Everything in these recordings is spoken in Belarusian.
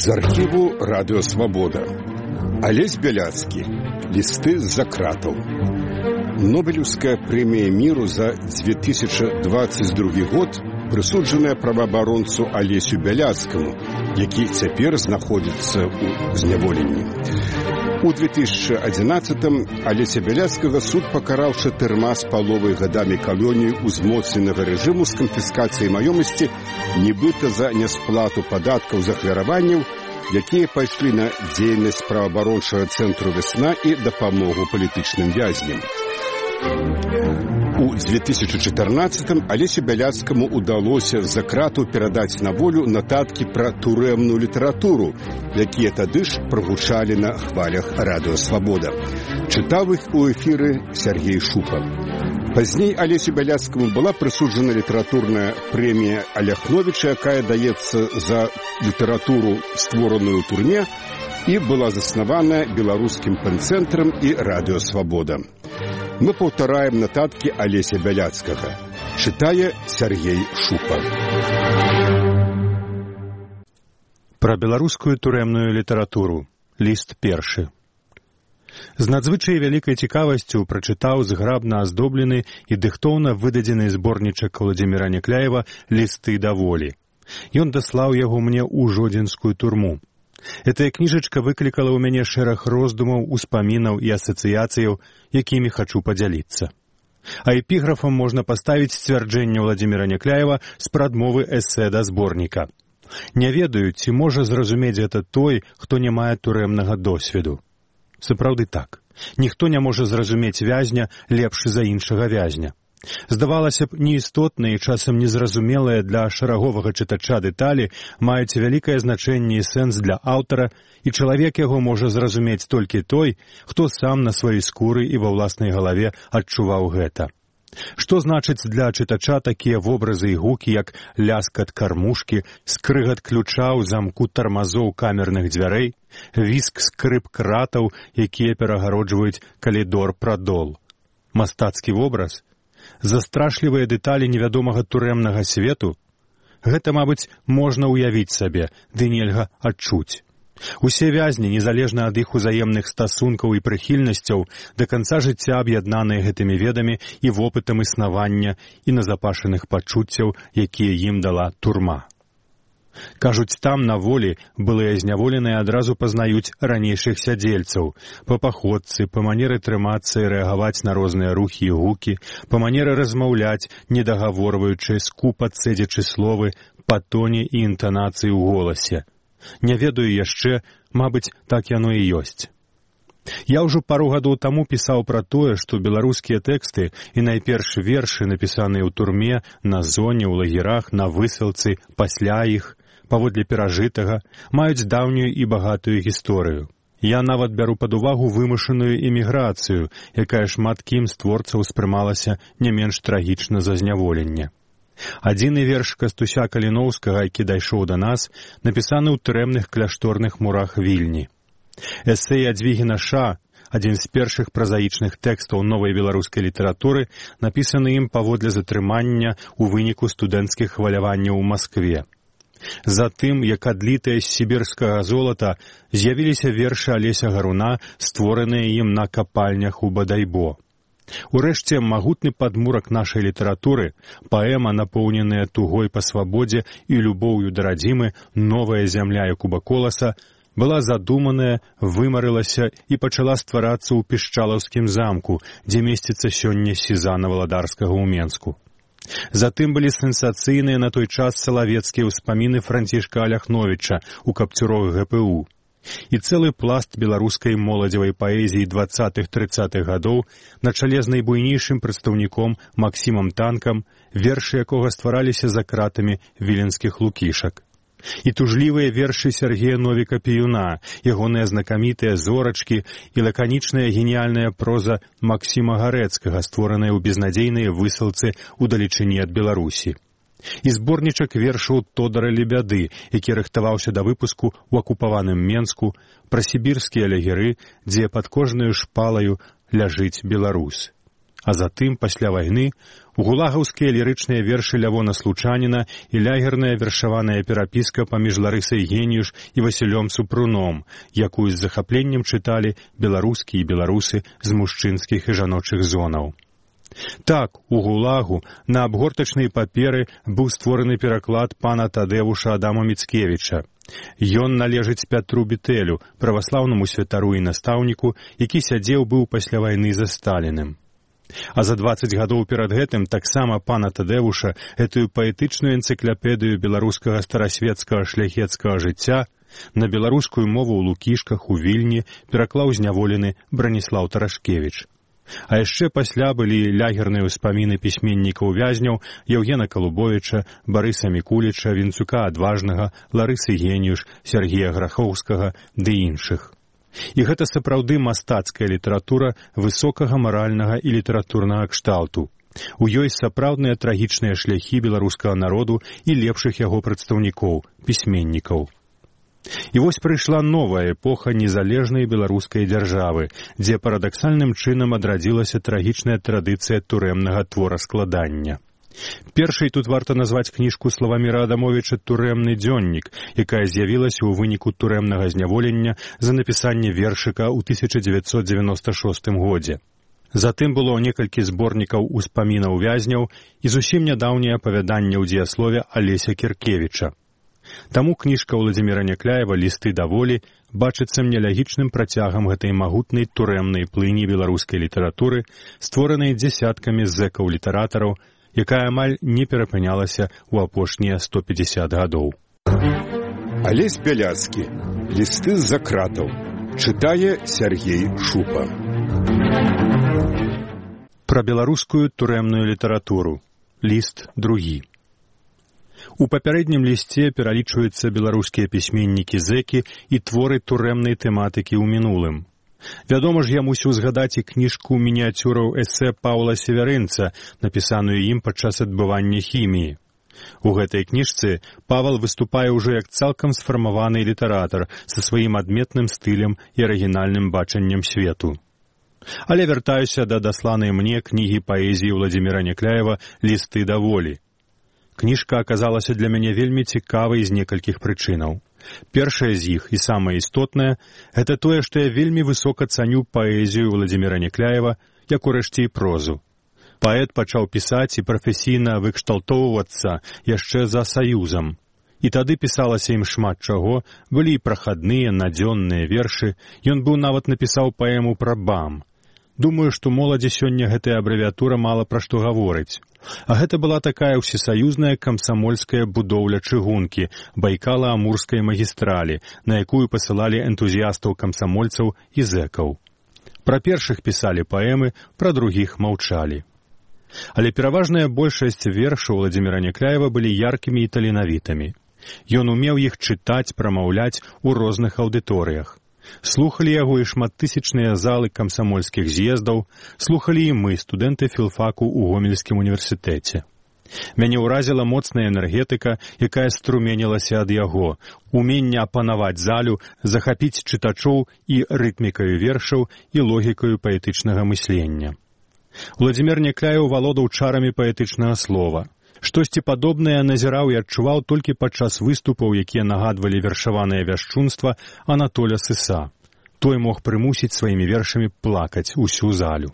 З архіву «Радыё Свабода». Алесь Бяляцкі. Лісты з-за кратаў. Нобелевская прэмія міру за 2022 год прысуджаная праваабаронцу Алесю Бяляцкаму, які цяпер знаходзіцца ў зняволенні. У 2011-м Алеся Бяляцкага суд пакараў 4,5 гадамі калоніі узмоцненага рэжыму з канфіскацыяй маёмасці, нібыта за нясплату падаткаў з ахвяраванняў, якія пайшлі на дзейнасць праваабарончага цэнтру «Вясна» і дапамогу палітычным вязням. У 2014-м Алесю Бяляцкаму удалося з-за кратаў перадаць на волю нататкі пра турэмную літаратуру, якія тады ж прагучалі на хвалях «Радыё Свабода». Чытаў іх у эфіры Сергей Шупа. Пазней Алесю Бяляцкаму была прысуджана літаратурная прэмія Аляхновіча, якая даецца за літаратуру, створаную ў турме, і была заснавана беларускім пэн-цэнтрам і «Радыё Свабода». Мы паўтараем нататкі Алеся Бяляцкага. Чытае Сергей Шупа. Пра беларускую турэмную літаратуру. Ліст першы. З надзвычай вялікай цікавасцю прачытаў зграбна аздоблены і дыхтоўна выдадзены зборнічак Владзіміра Някляева «Лісты да волі». Ён даслаў яго мне ў жодзінскую турму. Гэтая кніжачка выклікала ў мяне шэраг роздумаў, успамінаў і асацыяцыяў, якімі хачу падзяліцца. А эпіграфам можна паставіць сцвярджэнне Владзіміра Някляева з прадмовы эсэ да зборніка. Не ведаю, ці можа зразумець гэта той, хто не мае турэмнага досведу. Сапраўды так. Ніхто не можа зразумець вязня лепш за іншага вязня. Здавалася б, неістотныя і часам незразумелыя для шараговага чытача дэталі маюць вялікае значэнне і сэнс для аўтара, і чалавек яго можа зразумець толькі той, хто сам на сваёй скуры і ва ўласнай галаве адчуваў гэта. Што значыць для чытача такія вобразы і гукі, як ляскат кармушкі, скрыгат ключа ў замку тармазоў камерных дзвярэй, віск скрып кратаў, якія перагароджваюць калідор-прадол. Мастацкі вобраз? Застрашлівыя дэталі невядомага турэмнага свету? Гэта, мабыць, можна ўявіць сабе, ды нельга адчуць. Усе вязні, незалежна ад іх узаемных стасункаў і прыхільнасцяў, да канца жыцця аб'яднаныя гэтымі ведамі і вопытам існавання і назапашаных пачуццяў, якія ім дала турма. Кажуць, там, на волі, былыя зняволеныя адразу пазнаюць ранейшых сядзельцаў, па паходцы, па манеры трымацца і рэагаваць на розныя рухі і гукі, па манеры размаўляць, недагаворваючы, скупа цэдзячы словы, па тоне і інтанацыі ў голасе. Не ведаю яшчэ, мабыць, так яно і ёсць. Я ўжо пару гадоў таму пісаў пра тое, што беларускія тэксты і найперш вершы, напісаныя ў турме, на зоне, ў лагерах, на высылцы, пасля іх, паводле перажытага, маюць даўнюю і багатую гісторыю. Я нават бяру пад увагу вымушаную эміграцыю, якая шмат кім з творцаў успрымалася не менш трагічна за зняволенне. Адзіны верш Кастуся Каліноўскага, які дайшоў да нас, напісаны ў турэмных кляшторных мурах Вільні. Эсэ Ядвігіна Ша, адзін з першых празаічных тэкстаў новай беларускай літаратуры, напісаны ім паводле затрымання ў выніку студэнцкіх хваляванняў у Маскве. Затым, як адлітыя з сібірскага золата, з'явіліся вершы Алеся Гаруна, створаныя ім на капальнях у Бадайбо. Урэшце, магутны падмурак нашай літаратуры, паэма, напоўненая тугой па свабодзе і любоўю да радзімы, новая зямля Якуба Коласа, была задуманая, вымарылася і пачала стварацца ў Пішчалаўскім замку, дзе месціцца сёння сізана валадарскага ў Менску. Затым былі сенсацыйныя на той час салавецкія ўспаміны Францішка Аляхновіча ў капцюрах ГПУ. І цэлы пласт беларускай моладзевай паэзіі 20-30-х гадоў на чале з найбуйнейшым прадстаўніком Максімам Танкам, вершы якога ствараліся за кратамі віленскіх лукішак. І тужлівыя вершы Сергея Новіка-Піюна, ягоныя знакамітыя зорачкі і лаканічная геніяльная проза Максіма Гарэцкага, створаная ў безнадзейныя высылцы ў далечыні ад Беларусі. І зборнічак вершаў Тодара Лебяды, які рыхтаваўся да выпуску ў акупаваным Менску, пра сібірскія лагеры, дзе пад кожнаю шпалаю ляжыць беларус. А затым, пасля вайны, гулагаўскія лірычныя вершы Лявона Случаніна і лягерная вершаваная перапіска паміж Ларысай Геніюш і Васілём Супруном, якую з захапленнем чыталі беларускі і беларусы з мужчынскіх і жаночых зонаў. Так, у гулагу на абгортачнай паперы быў створаны пераклад пана Тадэвуша Адама Міцкевіча. Ён належыць Пятру Бітэлю, праваслаўнаму святару і настаўніку, які сядзеў быў пасля вайны за Сталіным. А за 20 гадоў перад гэтым таксама пана Тадэвуша гэтую паэтычную энцыклапедыю беларускага старасветскага шляхецкага жыцця на беларускую мову ў Лукішках у Вільні пераклаў зняволены Браніслаў Тарашкевіч. А яшчэ пасля былі лягерныя ўспаміны пісьменнікаў-вязняў Яўгена Калубовіча, Барыса Мікуліча, Вінцука Адважнага, Ларысы Геніюш, Сергія Грахоўскага ды іншых. І гэта сапраўды мастацкая літаратура высокага маральнага і літаратурнага кшталту. У ёй сапраўдныя трагічныя шляхі беларускага народу і лепшых яго прадстаўнікоў, пісьменнікаў. І вось прыйшла новая эпоха незалежнай беларускай дзяржавы, дзе парадаксальным чынам адрадзілася трагічная традыцыя турэмнага твораскладання. Першай тут варта назваць кніжку Славаміра Адамовіча «Турэмны дзённік», якая з'явілася ў выніку турэмнага зняволення за напісанне вершыка ў 1996 годзе. Затым было некалькі зборнікаў успамінаў вязняў і зусім нядаўняе апавяданне ў дзеяслове Алеся Кіркевіча. Таму кніжка Владзіміра Някляева «Лісты да волі» бачыцца мне лягічным працягам гэтай магутнай турэмнай плыні беларускай літаратуры, створанай дзесяткамі зэкаў-літаратараў, якая амаль не перапынялася ў апошнія 150 гадоў. Алесь Бяляцкі. «Лісты з-за кратаў». Чытае Сергей Шупа. Пра беларускую турэмную літаратуру. Ліст другі. У папярэднім лісце пералічваюцца беларускія пісьменнікі-зэкі і творы турэмнай тэматыкі ў мінулым. Вядома ж, я мусіў згадаць і кніжку мініяцюраў эсэ Паўла Северынца, напісаную ім падчас адбывання хіміі. У гэтай кніжцы Павал выступае ўжо як цалкам сфармаваны літаратар са сваім адметным стылем і арыгінальным бачаннем свету. Але вяртаюся да дасланай мне кнігі паэзіі Владзіміра Някляева «Лісты да волі». Кніжка аказалася для мяне вельмі цікавай з некалькіх прычынаў. Першая з іх і самая істотная – гэта тое, што я вельмі высока цаню паэзію Владзіміра Някляева, як урэшце і прозу. Паэт пачаў пісаць і прафесійна выкшталтоўвацца яшчэ за Саюзам. І тады пісалася ім шмат чаго, былі і прахадныя, надзённыя вершы, ён быў нават напісаў паэму пра БАМ. Думаю, што моладзі сёння гэтая абрэвіатура мала пра што гаворыць. А гэта была такая ўсесаюзная камсамольская будоўля чыгункі, Байкала-Амурскай магістралі, на якую пасылалі энтузіястаў-камсамольцаў і зэкаў. Пра першых пісалі паэмы, пра другіх маўчалі. Але пераважная большасць вершаў Владзіміра Някляева былі яркімі і таленавітымі. Ён умеў іх чытаць, прамаўляць у розных аўдыторыях. Слухалі яго і шматтысячныя залы камсамольскіх з'ездаў, слухалі і мы, студэнты філфаку ў Гомельскім універсітэце. Мяне ўразіла моцная энергетыка, якая струменілася ад яго, уменне апанаваць залю, захапіць чытачоў і рытмікаю вершаў і логікаю паэтычнага мыслення. Владзімір Някляеў валодаў чарамі паэтычнага слова. Штосьці падобнае назіраў і адчуваў толькі падчас выступаў, якія нагадвалі вершаванае вяшчунства Анатоля Сыса. Той мог прымусіць сваімі вершамі плакаць усю залю.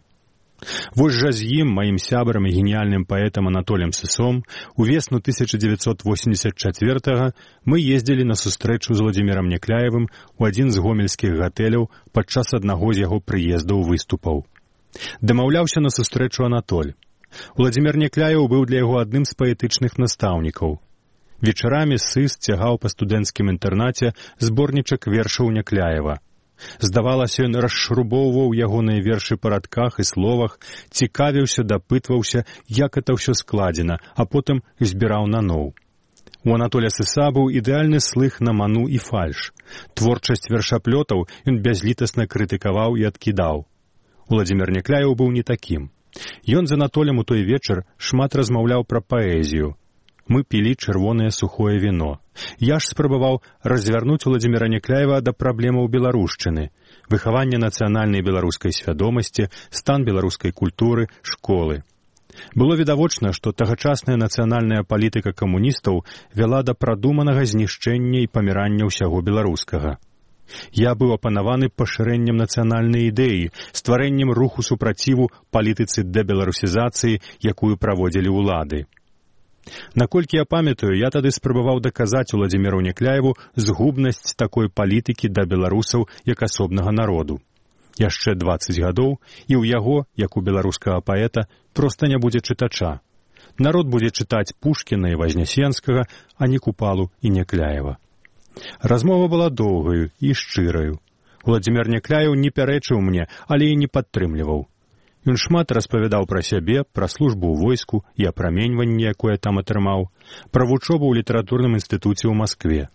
Вось жа з ім, маім сябрам і геніяльным паэтам Анатолем Сысом, у весну 1984-го мы ездзілі на сустрэчу з Владзімірам Някляевым у адзін з гомельскіх гатэляў падчас аднаго з яго прыездаў выступаў. Дамаўляўся на сустрэчу Анатоль. Владзімір Някляеў быў для яго адным з паэтычных настаўнікаў. Вечарамі Сыс цягаў па студэнцкім інтэрнаце зборнічак вершаў Някляева. Здавалася, ён расшрубоўваў ягоныя вершы па радках і словах, цікавіўся, дапытваўся, як это ўсё складзена, а потым збіраў наноў. У Анатоля Сыса быў ідэальны слых на ману і фальш. Творчасць вершаплётаў ён бязлітасна крытыкаваў і адкідаў. Владзімір Някляеў быў не такім. Ён з Анатолем у той вечар шмат размаўляў пра паэзію. Мы пілі чырвонае сухое віно. Я ж спрабаваў развярнуць Владзіміра Някляева да праблемаў беларушчыны. выхаванне нацыянальнай беларускай свядомасці, стан беларускай культуры, школы. Было відавочна, што тагачасная нацыянальная палітыка камуністаў вяла да прадуманага знішчэння і памірання ўсяго беларускага. Я быў апанаваны пашырэннем нацыянальнай ідэі, стварэннем руху супраціву палітыцы дэбеларусізацыі, якую праводзілі ўлады. Наколькі я памятаю, я тады спрабаваў даказаць Уладзіміру Някляеву згубнасць такой палітыкі да беларусаў як асобнага народу. Яшчэ 20 гадоў, і ў яго, як у беларускага паэта, проста не будзе чытача. Народ будзе чытаць Пушкіна і Вазнясенскага, а не Купалу і Някляева. Размова была доўгаю і шчыраю. Уладзімір Някляеў не пярэчыў мне, але і не падтрымліваў. Ён шмат распавядаў пра сябе, пра службу ў войску і апраменьванне, якое там атрымаў, пра вучобу ў літаратурным інстытуце ў Маскве.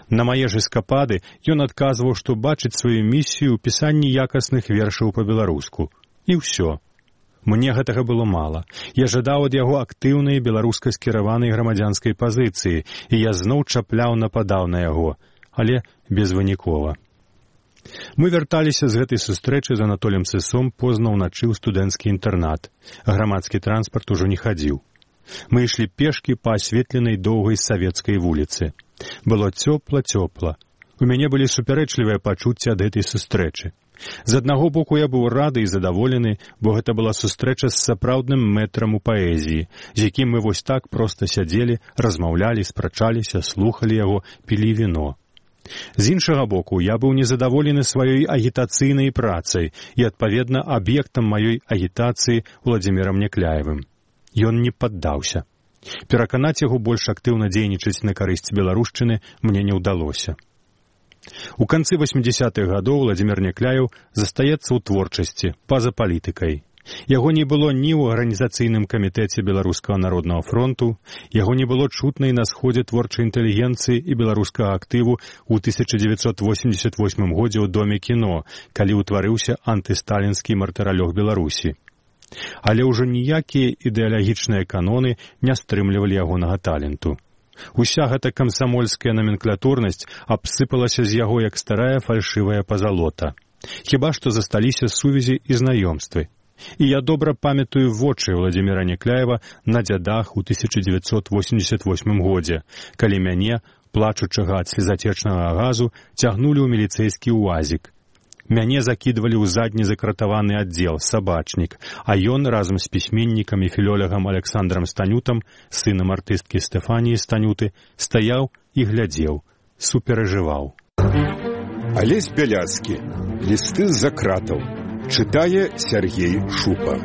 На мае ж эскапады ён адказваў, што бачыць сваю місію ў пісанні якасных вершаў па-беларуску. І ўсё. Мне гэтага было мала. Я жадаў ад яго актыўнай беларуска скіраванай грамадзянскай пазіцыі, і я зноў чапляў, нападаў на яго, але безвынікова. Мы вярталіся з гэтай сустрэчы з Анатолем Сысом позна ўначы ў студэнцкі інтэрнат. Грамадскі транспарт ужо не хадзіў. Мы ішлі пешкі па асветленай доўгай савецкай вуліцы. Было цёпла-цёпла. У мяне былі супярэчлівыя пачуцці ад гэтай сустрэчы. З аднаго боку я быў рады і задаволены, бо гэта была сустрэча з сапраўдным мэтрам у паэзіі, з якім мы вось так проста сядзелі, размаўлялі, спрачаліся, слухалі яго, пілі віно. З іншага боку, я быў незадаволены сваёй агітацыйнай працай і, адпаведна, аб'ектам маёй агітацыі Уладзімірам Някляевым. Ён не паддаўся. Пераканаць яго больш актыўна дзейнічаць на карысць беларушчыны мне не ўдалося. У канцы 80-х гадоў Уладзімір Някляеў застаецца ў творчасці, па-за палітыкай. Яго не было ні ў арганізацыйным камітэце Беларускага народнага фронту, яго не было чутна і на сходзе творчай інтэлігенцыі і беларускага актыву ў 1988 годзе ў Доме кіно, калі ўтварыўся антысталінскі мартыралёг Беларусі. Але ўжо ніякія ідэалагічныя каноны не стрымлівалі ягонага таленту. Уся гэта камсамольская наменклатурнасць абсыпалася з яго як старая фальшывая пазалота. Хіба што засталіся сувязі і знаёмствы. І я добра памятаю вочы Уладзіміра Някляева на дзядах у 1988 годзе, калі мяне, плачучага ад слезацечнага газу, цягнулі ў міліцэйскі уазік. Мяне закідвалі ў задні закратаваны аддзел, сабачнік, а ён разам з пісьменнікам і філолягам Александрам Станютам, сынам артысткі Стэфаніі Станюты, стаяў і глядзеў, суперажываў. Алесь Бяляцкі. Лісты з-за кратаў. Чытае Сергей Шупа.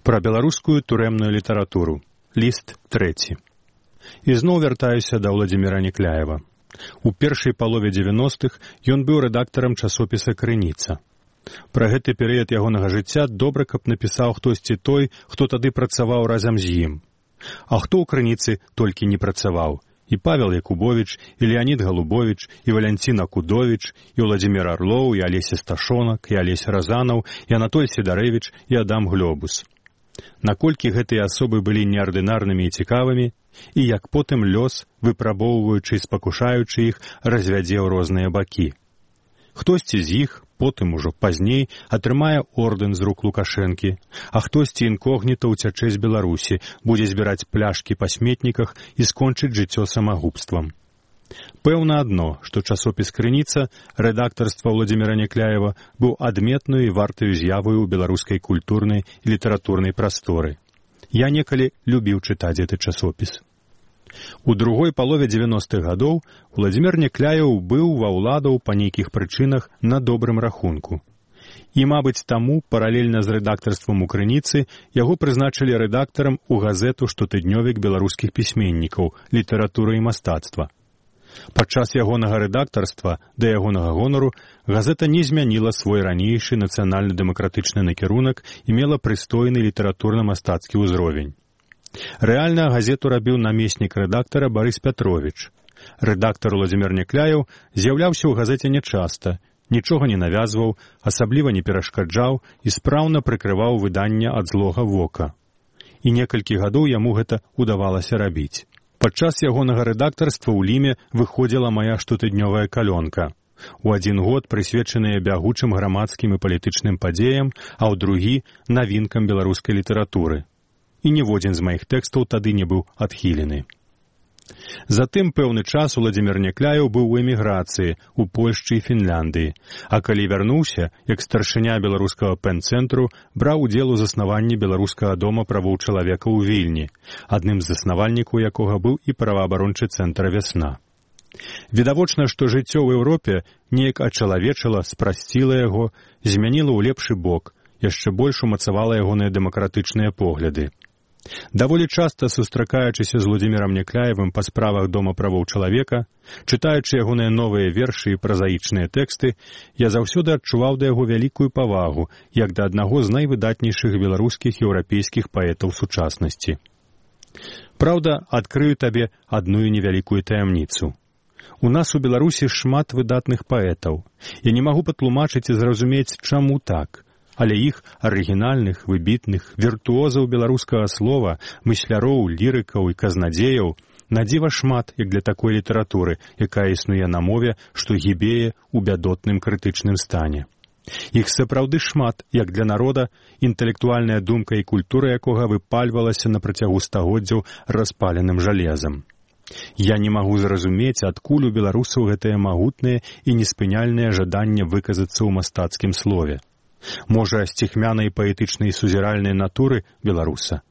Пра беларускую турэмную літаратуру. Ліст 3. Ізноў вяртаюся да Уладзіміра Някляева. У першай палове 90-х ён быў рэдактарам часопіса «Крыніца». Пра гэты перыяд ягонага жыцця добра, каб напісаў хтосьці той, хто тады працаваў разам з ім. А хто ў «Крыніцы» толькі не працаваў? І Павел Якубович, і Леонід Галубович, і Валянцін Акудович, і Уладзімір Арлоў, і Алеся Сташонак, і Алесь Разанаў, і Анатоль Сідарэвіч, і Адам Глёбус. Наколькі гэтыя асобы былі неардынарнымі і цікавымі, і як потым лёс, выпрабоўваючы і спакушаючы іх, развядзе ў розныя бакі. Хтосьці з іх, потым ужо пазней, атрымае ордэн з рук Лукашэнкі, а хтосьці інкогніта ўцячэ з Беларусі, будзе збіраць пляшкі па сметніках і скончыць жыццё самагубствам. Пэўна адно, што часопіс «Крыніца», рэдактарства Уладзіміра Някляева, быў адметнаю і вартаю з'яваю ў беларускай культурнай і літаратурнай прасторы. Я некалі любіў чытаць гэты часопіс. У другой палове 90-х гадоў Уладзімір Някляеў быў ва ўладаў па нейкіх прычынах на добрым рахунку. І, мабыць, таму, паралельна з рэдактарствам у «Крыніцы», яго прызначылі рэдактарам у газету «Штотыднёвік беларускіх пісьменнікаў. Літаратура і мастацтва». Падчас ягонага рэдактарства, да ягонага гонару, газета не змяніла свой ранейшы нацыянальна-дэмакратычны накірунак і мела прыстойны літаратурна-мастацкі ўзровень. Рэальна газету рабіў намеснік рэдактара Барыс Пятровіч. Рэдактар Уладзімір Някляеў з'яўляўся ў газеце нячаста, нічога не навязваў, асабліва не перашкаджаў і спраўна прыкрываў выданне ад злога вока. І некалькі гадоў яму гэта удавалася рабіць. Падчас ягонага рэдактарства ў Ліме выходзіла мая штотыднёвая калёнка. У адзін год прысвечаныя бягучым грамадскім і палітычным падзеям, а ў другі — навінкам беларускай літаратуры. І ніводзін з маіх тэкстаў тады не быў адхілены. Затым пэўны час Уладзімір Някляеў быў у эміграцыі ў Польшчы і Фінляндыі, а калі вярнуўся, як старшыня беларускага пэн-цэнтру, браў удзел у заснаванні беларускага дома правоў чалавека ў Вільні, адным з заснавальнікаў якога быў і праваабарончы цэнтр «Вясна». Відавочна, што жыццё ў Еўропе неяк ачалавечыла, спрасціла яго, змяніла ў лепшы бок, яшчэ больш умацавала ягоныя дэмакратычныя погляды. Даволі часта сустракаючыся з Уладзімірам Някляевым па справах Дома правоў чалавека, чытаючы ягоныя новыя вершы і празаічныя тэксты, я заўсёды адчуваў да яго вялікую павагу, як да аднаго з найвыдатнейшых беларускіх і еўрапейскіх паэтаў сучаснасці. Праўда, адкрыю табе адну невялікую таямніцу. У нас у Беларусі шмат выдатных паэтаў. Я не магу патлумачыць і зразумець, чаму так. Але іх арыгінальных, выбітных, віртуозаў беларускага слова, мысляроў, лірыкаў і казнадзеяў надзіва шмат, як для такой літаратуры, якая існуе на мове, што гібее ў бядотным крытычным стане. Іх сапраўды шмат, як для народа, інтэлектуальная думка і культура якога выпальвалася на працягу стагоддзяў распаленым жалезам. Я не магу зразумець, адкуль у беларусаў гэтае магутнае і неспыняльнае жаданне выказацца ў мастацкім слове. Можа, сціхмянай паэтычнай сузіральнай натуры беларуса.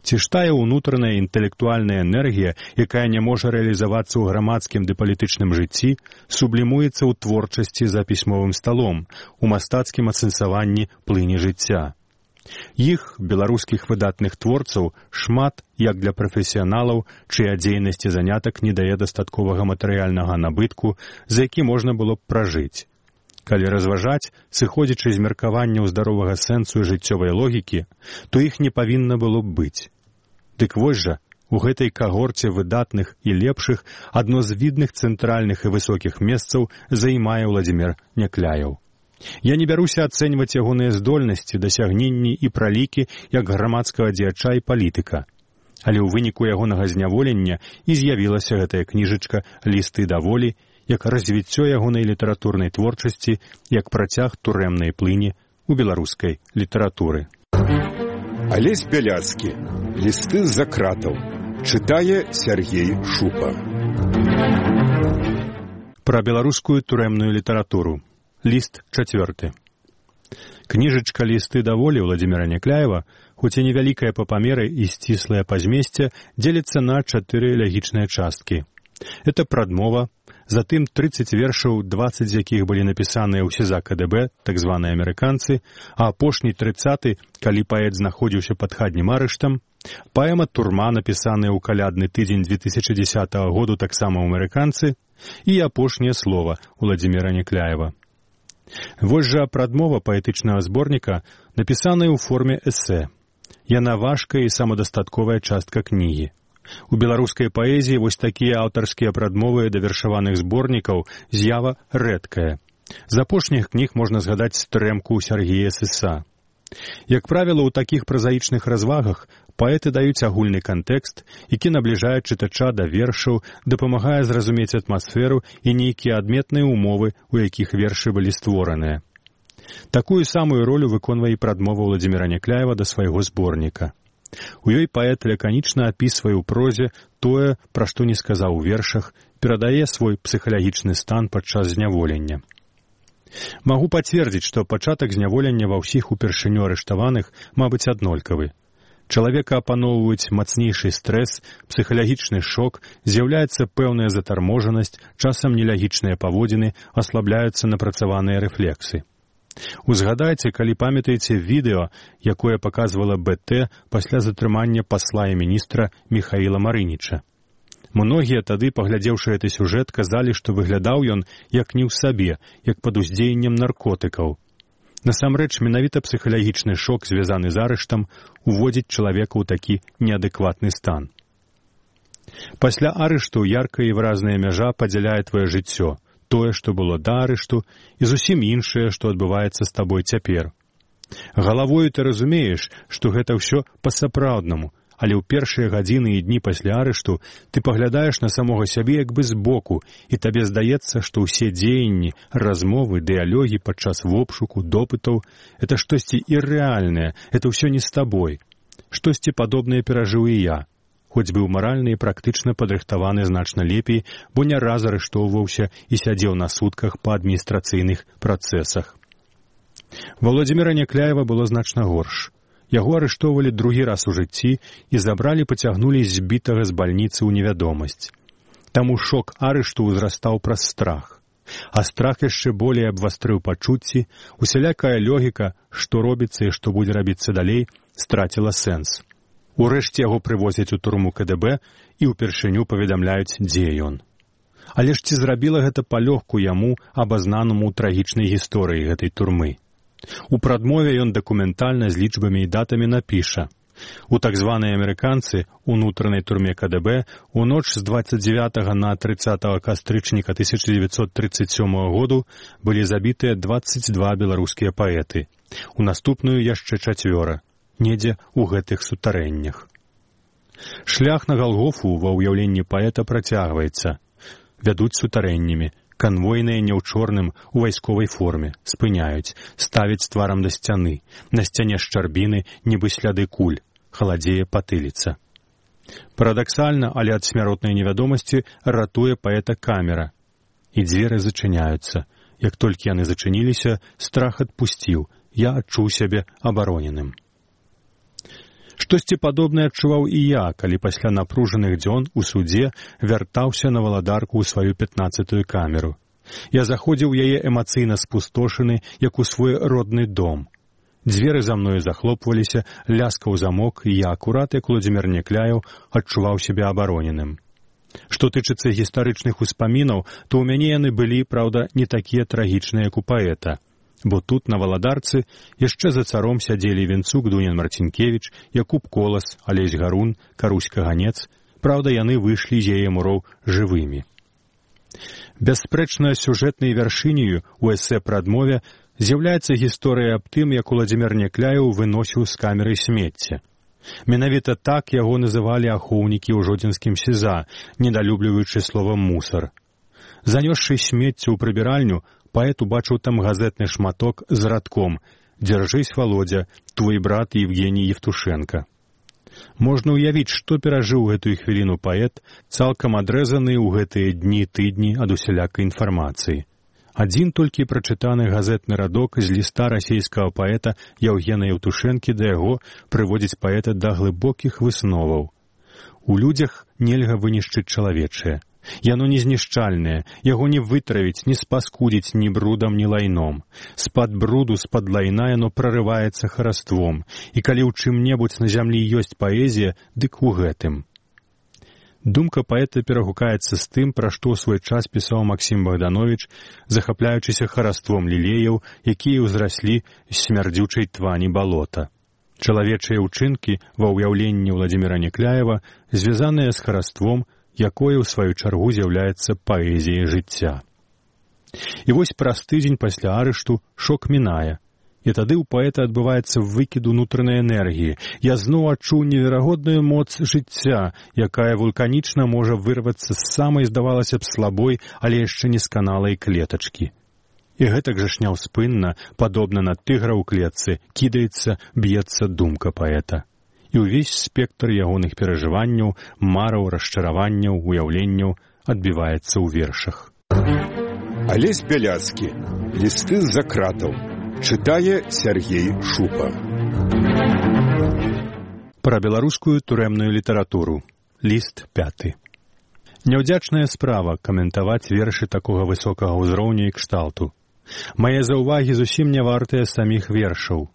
Ці ж тая ўнутраная інтэлектуальная энергія, якая не можа рэалізавацца ў грамадскім ды палітычным жыцці, сублімуецца ў творчасці за пісьмовым сталом, у мастацкім асэнсаванні плыні жыцця. Іх, беларускіх выдатных творцаў, шмат, як для прафесіяналаў, чыя дзейнасць і занятак не дае дастатковага матэрыяльнага набытку, за які можна было б пражыць. Калі разважаць, сыходзячы з меркаванняў здаровага сэнсу і жыццёвай логікі, то іх не павінна было б быць. Дык вось жа, у гэтай кагорце выдатных і лепшых адно з відных цэнтральных і высокіх месцаў займае Уладзімір Някляеў. Я не бяруся ацэньваць ягоныя здольнасці, дасягненні і пралікі як грамадскага дзеяча і палітыка. Але ў выніку ягонага зняволення і з'явілася гэтая кніжачка «Лісты да волі», як развіццё ягонай літаратурнай творчасці, як працяг турэмнай плыні ў беларускай літаратуры. Алесь Бяляцкі. «Лісты з-за кратаў». Чытае Сергей Шупа. Пра беларускую турэмную літаратуру. Ліст 4. Кніжачка «Лісты да волі» Уладзіміра Някляева, хоць і невялікая па памеры і сціслая па змесце, дзеліцца на 4 лягічныя часткі. Это прадмова, затым 30 вершаў, 20 з якіх былі напісаныя ў СІЗА КДБ, так званыя амерыканцы, а апошні 30-й, калі паэт знаходзіўся пад хатнім арыштам, паэма «Турма», напісаная ў калядны тыдзень 2010 году таксама ў амерыканцы, і апошняе слова Уладзіміра Някляева. Вось жа прадмова паэтычнага зборніка, напісаная ў форме эсэ. Яна важкая і самадастатковая частка кнігі. У беларускай паэзіі вось такія аўтарскія прадмовы да вершаваных зборнікаў з'ява рэдкая. З апошніх кніг можна згадаць «Стрэмку» Сергія Сыса. Як правіла, у такіх празаічных развагах паэты даюць агульны кантэкст, які набліжае чытача да вершаў, дапамагае зразумець атмасферу і нейкія адметныя умовы, у якіх вершы былі створаныя. Такую самую ролю выконвае і прадмова Уладзіміра Някляева да свайго зборніка. У ёй паэт лаканічна апісвае ў прозе тое, пра што не сказаў у вершах, перадае свой псіхалагічны стан падчас зняволення. Магу пацвердзіць, што пачатак зняволення ва ўсіх упершыню арыштаваных, мабыць, аднолькавы. Чалавека апаноўваюць мацнейшы стрэс, псіхалагічны шок, з'яўляецца пэўная затарможанасць, часам нелягічныя паводзіны, аслабляюцца напрацаваныя рэфлексы. Узгадайце, калі памятаеце відэо, якое паказвала БТ пасля затрымання пасла і міністра Міхаіла Марыніча. Многія тады, паглядзеўшы гэты сюжэт, казалі, што выглядаў ён як не ў сабе, як пад уздзеяннем наркотыкаў. Насамрэч, менавіта псіхалагічны шок, звязаны з арыштам, уводзіць чалавека ў такі неадэкватны стан. Пасля арышту яркая і выразная мяжа падзяляе твоё жыццё, тое, што было да арышту, і зусім іншае, што адбываецца з табой цяпер. Галавою ты разумееш, што гэта ўсё па-сапраўднаму, але ў першыя гадзіны і дні пасля арышту ты паглядаеш на самога сябе як бы збоку, і табе здаецца, што ўсе дзеянні, размовы, дыялогі падчас вобшуку, допытаў — это штосьці іррэальнае, это ўсё не з табой. Штосьці падобнае перажыў і я, хоць быў маральна і практычна падрыхтаваны значна лепей, бо не раз арыштоўваўся і сядзеў на сутках па адміністрацыйных працэсах. Владзіміра Някляева было значна горш. Яго арыштоўвалі другі раз у жыцці і забралі, пацягнулі збітага з бальніцы ў невядомасць. Таму шок арышту ўзрастаў праз страх. А страх яшчэ болей абвастрыў пачуцці, усялякая логіка, што робіцца і што будзе рабіцца далей, страціла сэнс. Урэшце яго прывозяць у турму КДБ і ўпершыню паведамляюць, дзе ён. Але ж ці зрабіла гэта палёгку яму, абазнанаму ў трагічнай гісторыі гэтай турмы? У прадмове ён дакументальна з лічбамі і датамі напіша: у так званыя амерыканцы ў унутранай турме КДБ у ноч з 29 на 30 кастрычніка 1937 году былі забітыя 22 беларускія паэты. У наступную яшчэ 4, недзе ў гэтых сутарэннях. Шлях на Галгофу ва ўяўленні паэта працягваецца. Вядуць сутарэннямі. Канвойныя не ў чорным, у вайсковай форме, спыняюць, ставяць тварам да сцяны, на сцяне шчарбіны, нібы сляды куль, халадзее патыліца. Парадаксальна, але ад смяротнай невядомасці ратуе паэта камера. І дзверы зачыняюцца. Як толькі яны зачыніліся, страх адпусціў, я адчуў сябе абароненым. Штосьці падобнае адчуваў і я, калі пасля напружаных дзён у судзе вяртаўся на валадарку ў сваю 15-ю камеру. Я заходзіў у яе эмацыйна спустошаны, як у свой родны дом. Дзверы за мною захлопваліся, ляскаў замок, і я акурат, як Владзімір Някляеў, адчуваў сябе абароненым. Што тычыцца гістарычных успамінаў, то ў мяне яны былі, праўда, не такія трагічныя, як у паэта. Бо тут, на валадарцы, яшчэ за царом сядзелі Венцук, Дунян Марцінкевіч, Якуб Колас, Алесь Гарун, Карусь Каганец. Праўда, яны выйшлі з яе муроў жывымі. Бясспрэчна сюжэтнай вяршыняю у эсэ пра адмове з'яўляецца гісторыя аб тым, як Владзімір Някляеў выносіў з камеры смецце. Менавіта так яго называлі ахоўнікі ў жодзінскім СІЗА, недалюбліваючы словам «мусар». Занёсшы смецце ў прыбіральню, паэт убачыў там газетны шматок з радком «Дзяржысь, Володя, твой брат Евгений Евтушенко». Можна ўявіць, што перажыў гэтую хвіліну паэт, цалкам адрэзаны ў гэтыя дні-тыдні ад усялякай інфармацыі. Адзін толькі прачытаны газетны радок з ліста расійскага паэта Яўгена Евтушэнкі да яго прыводзіць паэта да глыбокіх высноваў. У людзях нельга вынішчыць чалавечае. Яно не знішчальнае, яго не вытравіць, не спаскудзіць ні брудам, ні лайном. З-пад бруду, з-пад лайна яно прарываецца хараством, і калі ў чым-небудзь на зямлі ёсць паэзія, дык у гэтым. Думка паэта перагукаецца з тым, пра што ў свой час пісаў Максім Богданович, захапляючыся хараством лілеяў, якія ўзраслі з смярдзючай твані балота. Чалавечыя ўчынкі ва ўяўленні Владзіміра Някляева звязаныя з хараством, якое, ў сваю чаргу, з'яўляецца паэзіяй жыцця. І вось праз тыдзень пасля арышту шок мінае, і тады ў паэта адбываецца выкід унутранай энергіі. Я зноў адчуў неверагодную моц жыцця, якая вулканічна можа вырвацца з самай, здавалася б, слабой, але яшчэ не сканалай клетачкі. І гэтак жа ж няўспынна, падобна на тыгра ў клетцы, кідаецца, б'ецца думка паэта. І ўвесь спектр ягоных перажыванняў, мараў, расчараванняў, уяўленняў адбіваецца ў вершах. Алесь Бяляцкі. Лісты з-за кратаў. Чытае Сергей Шупа. Пра беларускую турэмную літаратуру. Ліст 5. Няўдзячная справа каментаваць вершы такога высокага ўзроўню і кшталту. Мае заўвагі зусім не вартыя саміх вершаў.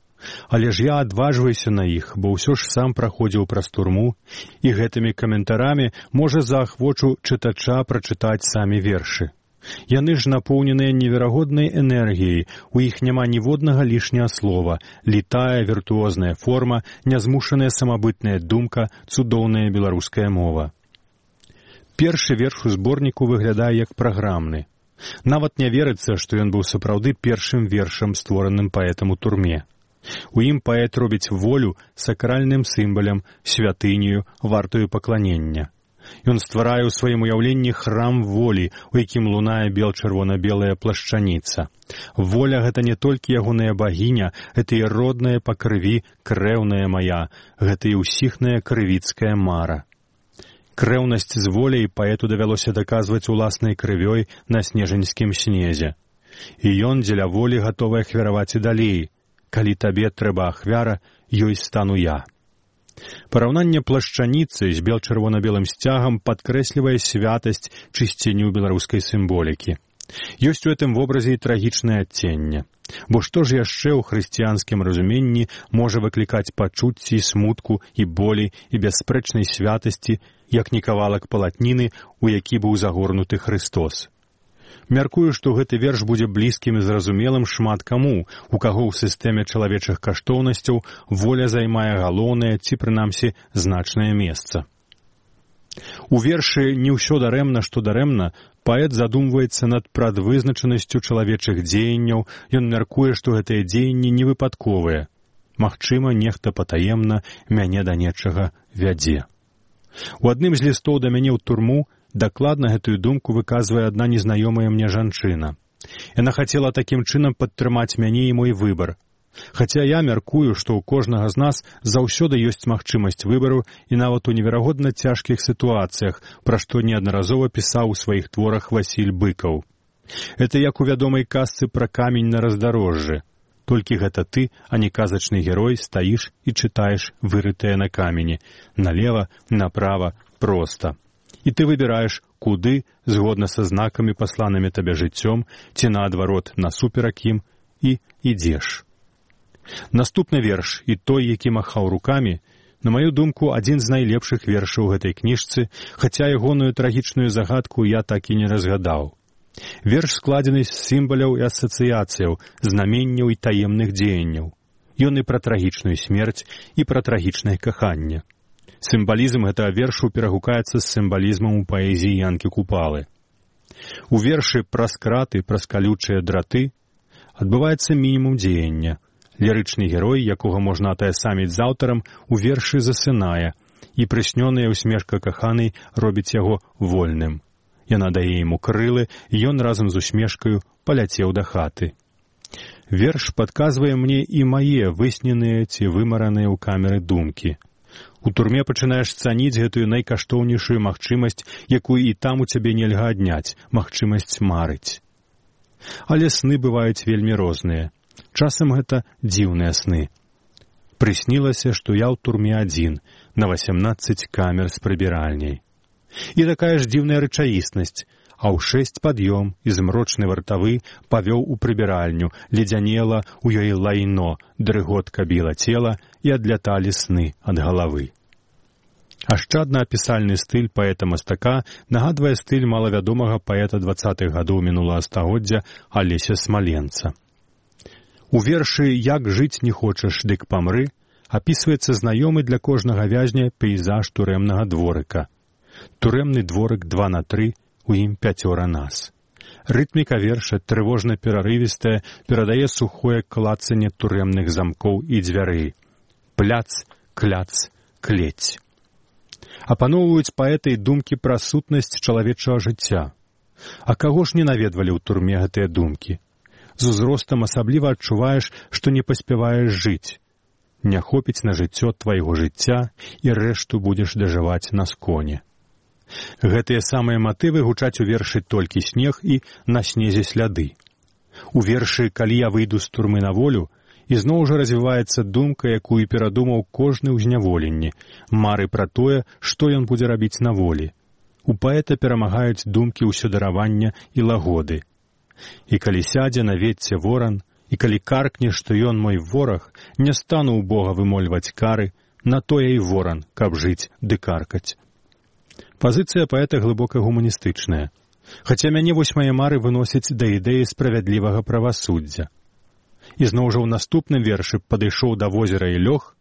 Але ж я адважваюся на іх, бо ўсё ж сам праходзіў праз турму, і гэтымі каментарамі можа заахвочу чытача прачытаць самі вершы. Яны ж напоўненыя неверагоднай энергіяй, у іх няма ніводнага лішняга слова, літая віртуозная форма, нязмушаная самабытная думка, цудоўная беларуская мова. Першы верш у зборніку выглядае як праграмны. Нават не верыцца, што ён быў сапраўды першым вершам, створаным паэтам у турме. У ім паэт робіць волю сакральным сімвалам, святынею, вартую пакланення. Ён стварае ў сваім уяўленні храм волі, у якім лунае бел-чырвона-белая плашчаніца. Воля — гэта не толькі ягоная багіня, гэта і родная па крыві крэўная мая, гэта і ўсіхная крывіцкая мара. Крэўнасць з воляй паэту давялося даказваць уласнай крывёй на снежаньскім снезе. І ён дзеля волі гатовы ахвяраваць і далей. Калі табе трэба ахвяра, ёй стану я. Параўнанне плашчаніцы з бел-чырвона-белым сцягам падкрэслівае святасць, чысціню беларускай сімволікі. Ёсць у гэтым вобразе і трагічнае адценне. Бо што ж яшчэ ў хрысціянскім разуменні можа выклікаць пачуцці, смутку і болі і бясспрэчнай святасці, як не кавалак палатніны, у які быў загорнуты Хрыстос? Мяркую, што гэты верш будзе блізкім і зразумелым шмат каму, у каго ў сістэме чалавечых каштоўнасцяў воля займае галоўнае ці, прынамсі, значнае месца. У вершы «Не ўсё дарэмна, што дарэмна» паэт задумваецца над прадвызначанасцю чалавечых дзеянняў, ён мяркуе, што гэтыя дзеянні не выпадковыя. Магчыма, нехта патаемна мяне да нечага вядзе. У адным з лістоў да мяне ў турму дакладна гэтую думку выказвае адна незнаёмая мне жанчына. Яна хацела такім чынам падтрымаць мяне і мой выбар. Хаця я мяркую, што ў кожнага з нас заўсёды ёсць магчымасць выбару і нават у неверагодна цяжкіх сітуацыях, пра што неаднаразова пісаў у сваіх творах Васіль Быкаў. Это як у вядомай казцы пра камень на раздарожжы. Толькі гэта ты, а не казачны герой, стаіш і чытаеш вырытае на камені. Налева, направа, проста. І ты выбіраеш, куды, згодна са знакамі, пасланымі табе жыццём, ці наадварот, насуперак ім, і ідзеш. Наступны верш, і той, які махаў рукамі, на маю думку, адзін з найлепшых вершаў гэтай кніжцы, хаця ягоную трагічную загадку я так і не разгадаў. Верш складзены з сімваляў і асацыяцыяў, знаменняў і таемных дзеянняў. Ён і пра трагічную смерць, і пра трагічнае каханне. Сімвалізм гэтага вершу перагукаецца з сімвалізмам у паэзіі Янкі Купалы. У вершы «Праз краты, праз калючыя драты» адбываецца мінімум дзеяння. Лірычны герой, якога можна атаясаміць з аўтарам, у вершы засынае, і прыснёная ўсмешка каханай робіць яго вольным. Яна дае яму крылы, і ён разам з усмешкаю паляцеў да хаты. Верш падказвае мне і мае высненыя ці вымараныя ў камеры думкі. У турме пачынаеш цаніць гэтую найкаштоўнейшую магчымасць, якую і там у цябе нельга адняць, магчымасць марыць. Але сны бываюць вельмі розныя. Часам гэта дзіўныя сны. Прыснілася, што я ў турме адзін, на 18 камер з прыбіральняй. І такая ж дзіўная рэчаіснасць, а ў 6 пад'ём і змрочны вартавы павёў у прыбіральню, ледзянела у ёй лайно, дрыготка біла цела і адляталі сны ад галавы. Ашчадна-апісальны стыль паэта-мастака нагадвае стыль малавядомага паэта 20-х гадоў мінулага стагоддзя Алеся Смаленца. У вершы «Як жыць не хочаш, дык памры» апісваецца знаёмы для кожнага вязня пейзаж турэмнага дворыка. Турэмны дворык 2×3, у ім 5 нас. Рытміка верша, трывожна-перарывістая, перадае сухое клацанне турэмных замкоў і дзвярэй. Пляц, кляц, клець. Апаноўваюць паэта і думкі пра сутнасць чалавечага жыцця. А каго ж не наведвалі ў турме гэтыя думкі? З узростам асабліва адчуваеш, што не паспяваеш жыць. Не хопіць на жыццё твайго жыцця, і рэшту будзеш дажываць на сконе. Гэтыя самыя матывы гучаць у вершы «Толькі снег» і «На снезе сляды». У вершы «Калі я выйду з турмы на волю» ізноў жа развіваецца думка, якую перадумаў кожны ў зняволенні, мары пра тое, што ён будзе рабіць на волі. У паэта перамагаюць думкі ўсёдаравання і лагоды. І калі сядзе на ветце воран, і калі каркне, што ён мой вораг, не стану ў Бога вымольваць кары, на тое і воран, каб жыць ды каркаць. Пазіцыя паэта глыбока гуманістычная. Хаця мяне вось мае мары выносяць да ідэі справядлівага правасуддзя. І зноў жа ў наступным вершы «Падышоў да возера і лёг»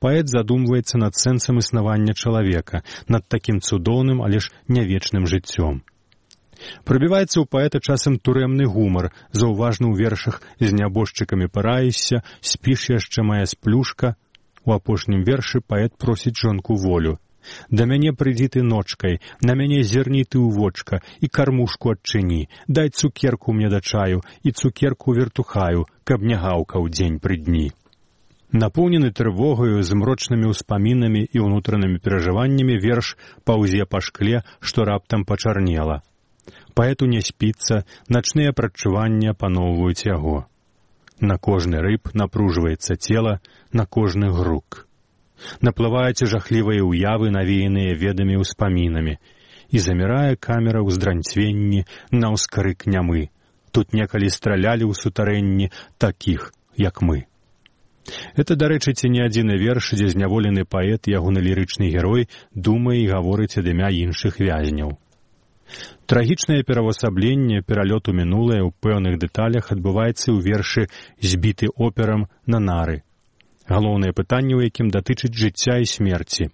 паэт задумваецца над сэнсам існавання чалавека, над такім цудоўным, але ж нявечным жыццём. Прабіваецца ў паэта часам турэмны гумар, заўважны ў вершах «З нябожчыкамі параішся», «Спіш яшчэ мая сплюшка». У апошнім вершы паэт просіць жонку волю. «Да мяне прыйдзі ты ночкай, на мяне зерні ты ў вочка, і кармушку адчыні, дай цукерку мне да чаю, і цукерку вертухаю, каб не гаўкаў дзень пры дні». Напоўнены трывогаю, змрочнымі ўспамінамі і ўнутранымі перажываннямі верш паўзе па шкле, што раптам пачарнела. Паэту не спіцца, начныя прадчуванні апаноўваюць яго. На кожны рыб напружваецца цела, на кожны грук. Наплываюць жахлівыя ўявы, навеяныя ведамі ўспамінамі, і замірае камера ў здранцвенні на ўскрык нямы. Тут некалі стралялі ў сутарэнні такіх, як мы. Это, дарэчы, ці не адзіны верш, дзе зняволены паэт, ягоны лірычны герой, думае і гаворыць ад імя іншых вязняў. Трагічнае перавасабленне, пералёт у мінулае ў пэўных дэталях адбываецца ў вершы «Збіты операм на нары». Галоўнае пытанне, у якім датычыць жыцця і смерці.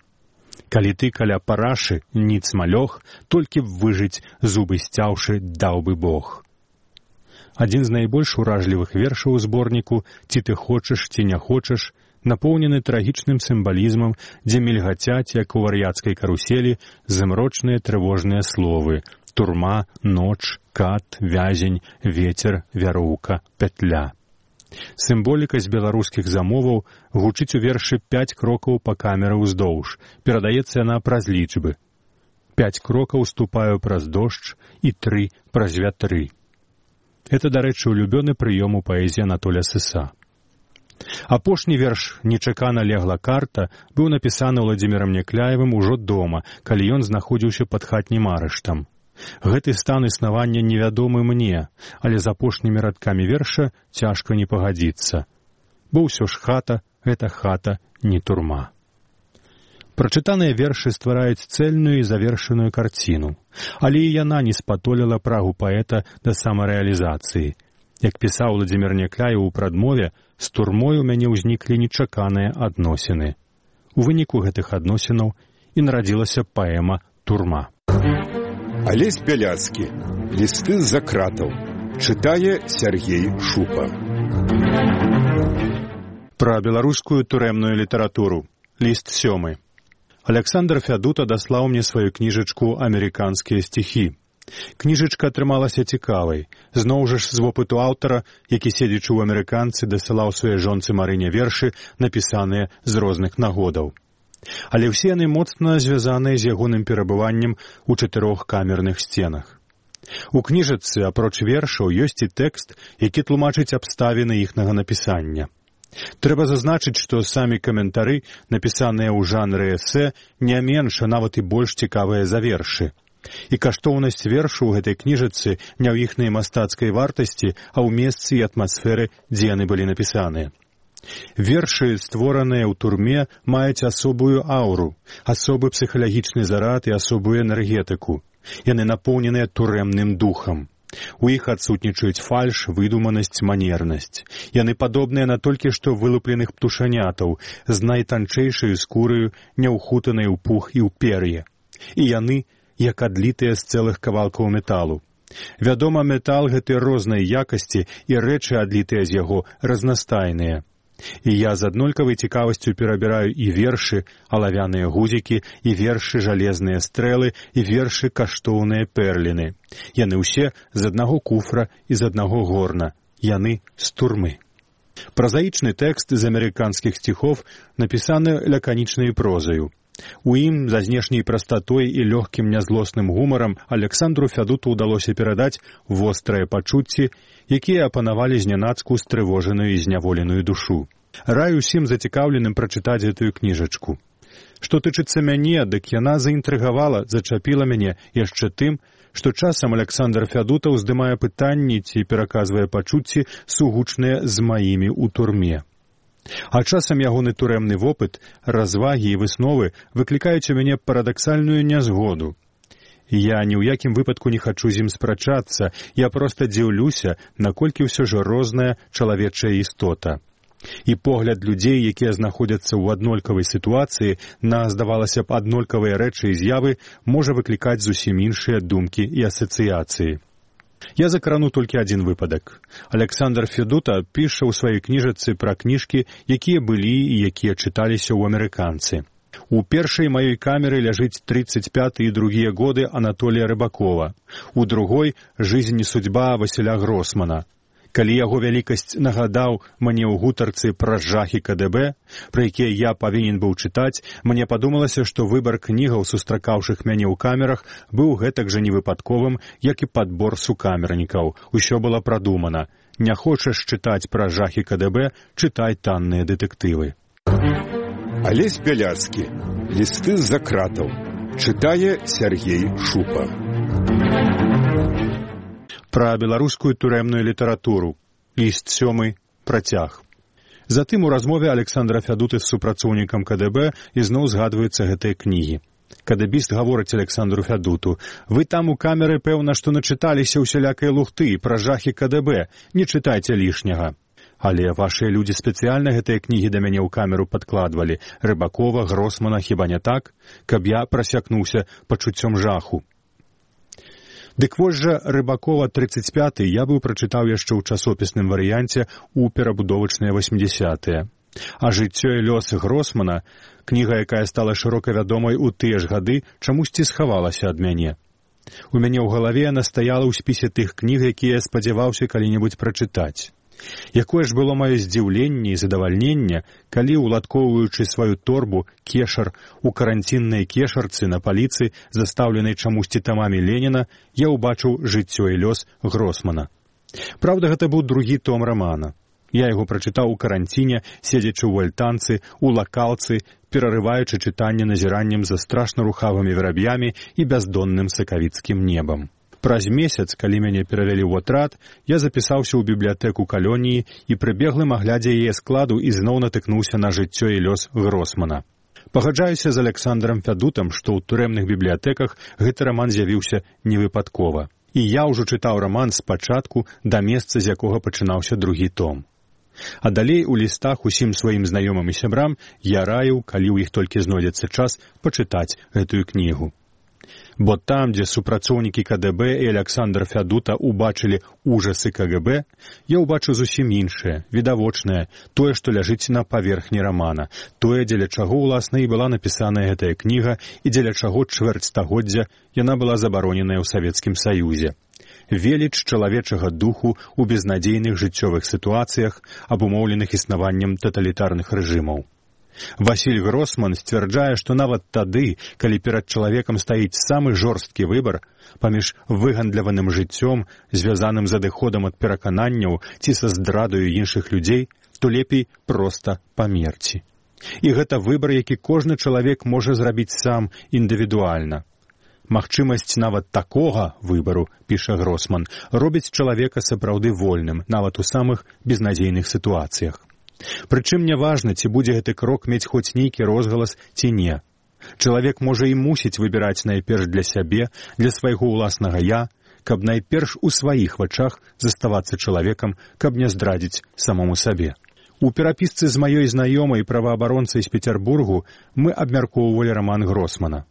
Калі ты каля парашы, ніц малёг, толькі б выжыць, зубы сцяўшы, даў бы Бог. Адзін з найбольш уражлівых вершаў у зборніку «Ці ты хочаш, ці не хочаш» напоўнены трагічным сімвалізмам, дзе мільгацяць, як у вар'яцкай каруселі, змрочныя трывожныя словы «турма», «ноч», «кат», «вязень», «ветер», «вяроўка», «пятля». Сімволіка з беларускіх замоваў гучыць у вершы 5 крокаў па камеры ўздоўж, перадаецца яна праз лічбы. 5 крокаў ступаю праз дождж і 3 праз вятры. Это, дарэчы, улюбёны прыём у паэзіі Анатоля Сыса. Апошні верш «Нечакана легла карта» быў напісаны Владзімірам Някляевым ужо дома, калі ён знаходзіўся пад хатнім арыштам. Гэты стан існавання невядомы мне, але з апошнімі радкамі верша цяжка не пагадзіцца. Бо ўсё ж хата — гэта хата, не турма. Прачытаныя вершы ствараюць цэльную і завершаную карціну, але і яна не спатоліла прагу паэта да самарэалізацыі. Як пісаў Владзімір Някляев у прадмове, з турмой у мяне ўзніклі нечаканыя адносіны. У выніку гэтых адносінаў і нарадзілася паэма «Турма». Алесь Бяляцкі. Лісты з-за кратаў. Чытае Сергей Шупа. Пра беларускую турэмную літаратуру. Ліст 7. Аляксандр Фядута даслаў мне сваю кніжачку «Амерыканскія стихі». Кніжачка атрымалася цікавай. Зноў жа ж з вопыту аўтара, які, седзячы ў амерыканцы, дасылаў сваёй жонцы Марыне вершы, напісаныя з розных нагодаў. Але ўсе яны моцна звязаныя з ягоным перабываннем у 4 камерных сценах. У кніжачцы, апроч вершаў, ёсць і тэкст, які тлумачыць абставіны іхнага напісання. Трэба зазначыць, што самі каментары, напісаныя ў жанры эсэ, не менш, а нават і больш цікавыя за вершы. І каштоўнасць вершу ў гэтай кніжачцы не ў іхнай мастацкай вартасці, а ў месцы і атмасферы, дзе яны былі напісаныя. Вершы, створаныя ў турме, маюць асобую ауру, асобы псіхалагічны зарад і асобую энергетыку. Яны напоўненыя турэмным духам. У іх адсутнічаюць фальш, выдуманасць, манернасць. Яны падобныя на толькі што вылупленых птушанятаў, з найтанчэйшаю скураю, няўхутанай у пух і ў пер'е. І яны, як адлітыя з цэлых кавалкаў металу. Вядома, метал гэты рознай якасці, і рэчы, адлітыя з яго, разнастайныя. І я з аднолькавай цікавасцю перабіраю і вершы, алавяныя гузікі, і вершы, жалезныя стрэлы, і вершы, каштоўныя перліны. Яны ўсе з аднаго куфра і з аднаго горна. Яны з турмы. Празаічны тэкст з амерыканскіх стихов напісаны лаканічнай прозаю. У ім, за знешняй прастатой і лёгкім нязлосным гумарам, Аляксандру Фядуту ўдалося перадаць вострыя пачуцці, якія апанавалі знянацку стрывожаную і зняволеную душу. Раю усім зацікаўленым прачытаць гэтую кніжачку. Што тычыцца мяне, дык яна заінтрыгавала, зачапіла мяне яшчэ тым, што часам Аляксандр Фядута ўздымае пытанні ці пераказвае пачуцці, сугучныя з маімі ў турме. А часам ягоны турэмны вопыт, развагі і высновы выклікаюць у мяне парадаксальную нязгоду. Я ні ў якім выпадку не хачу з ім спрачацца, я проста дзіўлюся, наколькі ўсё ж розная чалавечая істота. І погляд людзей, якія знаходзяцца ў аднолькавай сітуацыі на, здавалася б, аднолькавыя рэчы і з'явы, можа выклікаць зусім іншыя думкі і асацыяцыі. Я закрану толькі адзін выпадак. Александр Федута піша ў сваёй кніжачцы пра кніжкі, якія былі і якія чыталіся ў амерыканцы. У першай маёй камеры ляжыць 35 і другія годы Анатолія Рыбакова. У другой «Жизнь и судьба» Васіля Гросмана. Калі яго вялікасць нагадаў мне ў гутарцы пра жахі КДБ, пра якія я павінен быў чытаць, мне падумалася, што выбар кнігаў, сустракаўшых мяне ў камерах, быў гэтак жа невыпадковым, як і падбор сукамернікаў. Усё было прадумана. Не хочаш чытаць пра жахі КДБ, чытай танныя дэтэктывы. Алесь Бяляцкі. Лісты з-за кратаў. Чытае Сергей Шупа. Пра беларускую турэмную літаратуру. Ліст 7. Працяг. Затым у размове Александра Фядуты з супрацоўнікам КДБ ізноў згадваюцца гэтыя кнігі. КДБіст гаворыць Александру Фядуту: «Вы там у камеры, пэўна, што начыталіся ўсялякай лухты пра жахі КДБ, не чытайце лішняга. Але вашыя людзі спецыяльна гэтыя кнігі да мяне ў камеру падкладвалі. Рыбакова, Гросмана, хіба не так? Каб я прасякнуўся пачуццём жаху». Дык вось жа Рыбакова 35 я быў прачытаў яшчэ ў часопісным варыянце ў перабудовачныя 80-е. А «Жыццё і лёс» Гросмана, кніга, якая стала шырока вядомай у тыя ж гады, чамусьці схавалася ад мяне. У мяне ў галаве яна стаяла ў спісе тых кніг, якія я спадзяваўся калі-небудзь прачытаць. Якое ж было маё здзіўленне і задавальненне, калі, уладкоўваючы сваю торбу, кешар, у каранціннай кешарцы на паліцы, застаўленай чамусьці тамамі Леніна, я ўбачыў «Жыццё і лёс» Гросмана. Праўда, гэта быў другі том рамана. Я яго прачытаў у каранціне, седзячы ў альтанцы, у лакалцы, перарываючы чытанне назіраннем за страшна рухавымі вераб'ямі і бяздонным сакавіцкім небам. Праз месяц, калі мяне перавялі ў атрад, я запісаўся ў бібліятэку калоніі і пры беглым аглядзе яе складу ізноў натыкнуўся на «Жыццё і лёс» Гросмана. Пагаджаюся з Александром Фядутам, што ў турэмных бібліятэках гэты раман з'явіўся невыпадкова. І я ўжо чытаў раман спачатку да месца, з якога пачынаўся другі том. А далей у лістах усім сваім знаёмым і сябрам я раіў, калі ў іх толькі знойдзецца час, пачытаць гэтую кнігу. Бо там, дзе супрацоўнікі КДБ і Александр Фядута убачылі ужасы КГБ, я ўбачу зусім іншае, відавочнае, тое, што ляжыць на паверхні рамана, тое, дзеля чаго, уласна, і была напісаная гэтая кніга, і дзеля чаго чвэрць стагоддзя яна была забароненая ў Савецкім Саюзе. Веліч чалавечага духу ў безнадзейных жыццёвых сітуацыях, абумоўленых існаваннем таталітарных рэжымаў. Васіль Гросман сцвярджае, што нават тады, калі перад чалавекам стаіць самы жорсткі выбар паміж выгандляваным жыццём, звязаным з адыходам ад перакананняў ці са здрадаю іншых людзей, то лепей проста памерці. І гэта выбар, які кожны чалавек можа зрабіць сам індывідуальна. Магчымасць нават такога выбару, піша Гросман, робіць чалавека сапраўды вольным, нават у самых безнадзейных сітуацыях. Прычым не важна, ці будзе гэты крок мець хоць нейкі розгалас ці не. Чалавек можа і мусіць выбіраць найперш для сябе, для свайго ўласнага «я», каб найперш у сваіх вачах заставацца чалавекам, каб не здрадзіць самому сабе. У перапісцы з маёй знаёмай праваабаронцай з Петербургу мы абмяркоўвалі раман Гросмана.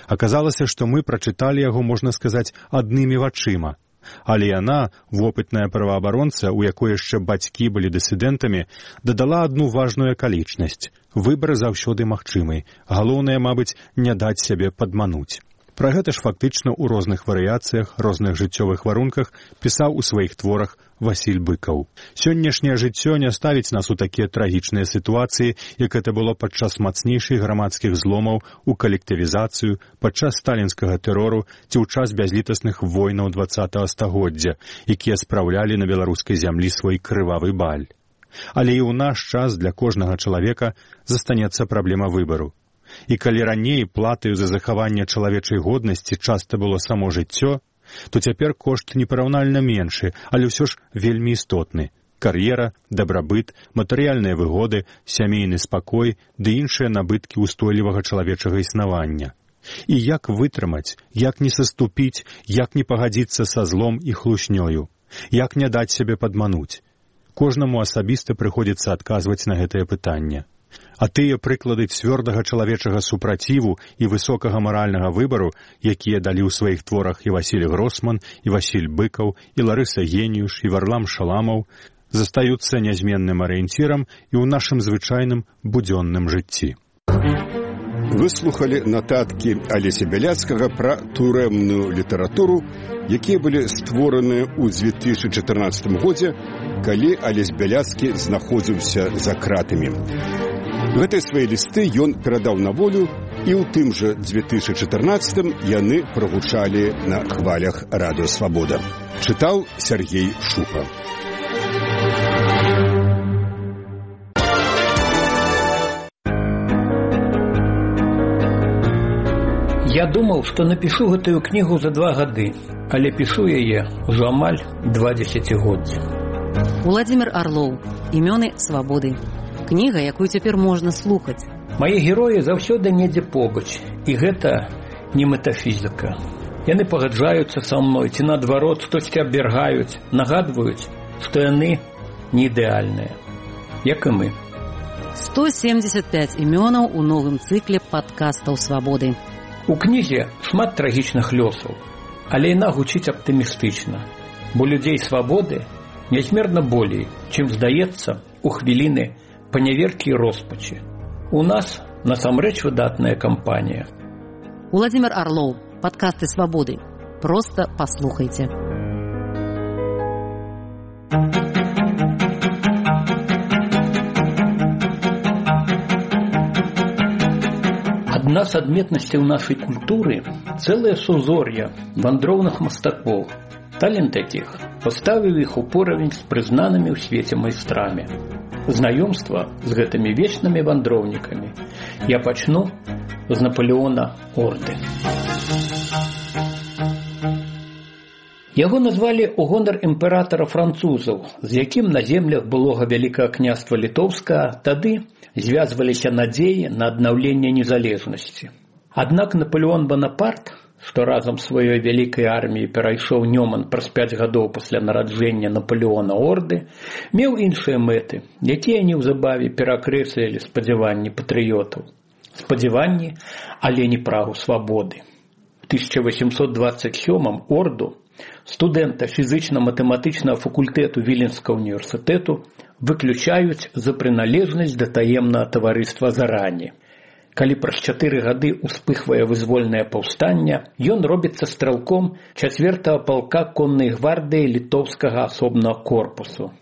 Аказалася, што мы прачыталі яго, можна сказаць, аднымі вачыма. Але яна, вопытная праваабаронца, у якой яшчэ бацькі былі дысідэнтамі, дадала адну важную акалічнасць. Выбар заўсёды магчымы. Галоўнае, мабыць, не даць сябе падмануць. Пра гэта ж фактычна ў розных варыяцыях, розных жыццёвых варунках пісаў у сваіх творах Васіль Быкаў. Сённяшняе жыццё не ставіць нас у такія трагічныя сітуацыі, як гэта было падчас мацнейшых грамадскіх зломаў, у калектывізацыю, падчас сталінскага тэрору ці ў час бязлітасных войнаў 20-го стагоддзя, якія спраўлялі на беларускай зямлі свой крывавы баль. Але і ў наш час для кожнага чалавека застанецца праблема выбару. І калі раней платаю за захаванне чалавечай годнасці часта было само жыццё, то цяпер кошт непараўнальна меншы, але ўсё ж вельмі істотны. Кар'ера, дабрабыт, матэрыяльныя выгоды, сямейны спакой ды іншыя набыткі ўстойлівага чалавечага існавання. І як вытрымаць, як не саступіць, як не пагадзіцца са злом і хлуснёю, як не даць сябе падмануць. Кожнаму асабіста прыходзіцца адказваць на гэтае пытанне. А тыя прыклады цвёрдага чалавечага супраціву і высокага маральнага выбару, якія далі ў сваіх творах і Васіль Гросман, і Васіль Быкаў, і Ларыса Геніюш, і Варлам Шаламаў, застаюцца нязменным арыенцірам і ў нашым звычайным будзённым жыцці. Выслухалі нататкі Алеся Бяляцкага пра турэмную літаратуру, якія былі створаны ў 2014 годзе, калі Алесь Бяляцкі знаходзіўся за кратамі. Гэтыя свае лісты ён перадаў на волю, і ў тым жа 2014 яны прагучалі на хвалях Радыё Свабода. Чытаў Сергей Шупа. Я думаў, што напішу гэтую кнігу за 2 гады, але пішу яе ўжо амаль 20 годдзя. Уладзімір Арлоў. Імёны свабоды. Кніга, якую цяпер можна слухаць. Мае героі заўсёды недзе побач, і гэта не метафізіка. Яны пагаджаюцца са мной, ці наадварот, штосьці абвяргаюць, нагадваюць, што яны не ідэальныя, як і мы. 175 імёнаў у новым цыкле падкастаў свабоды. У кнізе шмат трагічных лёсаў, але яна гучыць аптымістычна, бо людзей свабоды нязмерна болей, чым здаецца у хвіліны паняверкі і роспачы. У нас насамрэч выдатная кампанія. Уладзімір Арлоў. Падкасты свабоды. Проста паслухайце. Адна з адметнасцяў нашай культуры – цэлае сузор'е вандроўных мастакоў. Талент якіх паставіў іх у поравень з прызнанымі ў свеце майстрамі. Знаёмства з гэтымі вечнымі вандроўнікамі я пачну з Напалеона Орды. Яго назвалі ў гонар імператара французаў, з якім на землях былога Вялікага княства Літоўскага тады звязваліся надзеі на аднаўленне незалежнасці. Аднак Напалеон Банапарт, што разам з сваёй вялікай арміяй перайшоў Нёман праз 5 гадоў пасля нараджэння Напалеона Орды, меў іншыя мэты, якія неўзабаве перакрэслілі спадзяванні патрыётаў. Спадзяванні, але не прагу свабоды. У 1827 Орду, студэнта фізычна-матэматычнага факультэту Віленскага універсітэту, выключаюць за прыналежнасць да таемнага таварыства Зарані. Калі праз 4 гады успыхвае вызвольнае паўстанне, ён робіцца стралком 4-го палка коннай гвардыі літоўскага асобнага корпусу.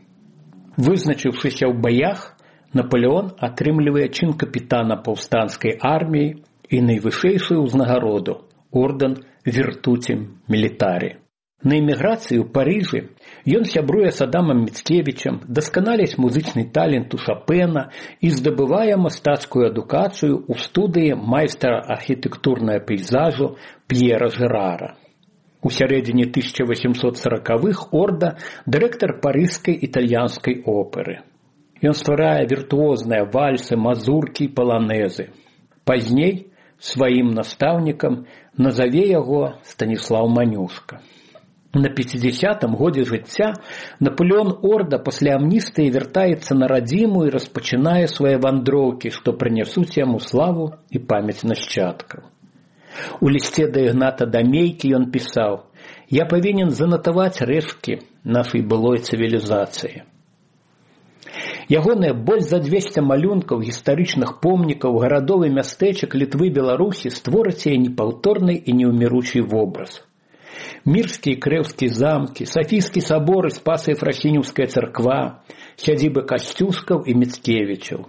Вызначыўшыся ў баях, Напалеон атрымлівае чын капітана паўстанскай арміі і найвышэйшую ўзнагароду – ордэн Віртуці Мілітарі. На эміграцыі ў Парыжы ён сябруе з Адамам Міцкевічам, дасканаляць музычны талент у Шапена і здабывае мастацкую адукацыю ў студыі майстра архітэктурнага пейзажу П'ера Жерара. У сярэдзіне 1840-х Орда – дырэктар парыжскай італьянскай оперы. Ён стварае віртуозныя вальсы, мазуркі і паланэзы. Пазней сваім настаўнікам назаве яго Станіслаў Манюшка. На 50-м годзе жыцця Напалеон Орда пасля амністыі вяртаецца на радзіму і распачынае свае вандроўкі, што прынясуць яму славу і памяць нашчадкаў. У лісце да Ігната Дамейкі ён пісаў: «Я павінен занатаваць рэшткі нашай былой цывілізацыі». Ягоныя больш за 200 малюнкаў гістарычных помнікаў гарадоў і мястэчак Літвы, Беларусі створаць яе непаўторны і неўміручы вобраз. Мірскі і Крэўскі замкі, Сафійскі сабор і Спаса-Ефрасінеўская царква, сядзібы Касцюшкаў і Міцкевічаў.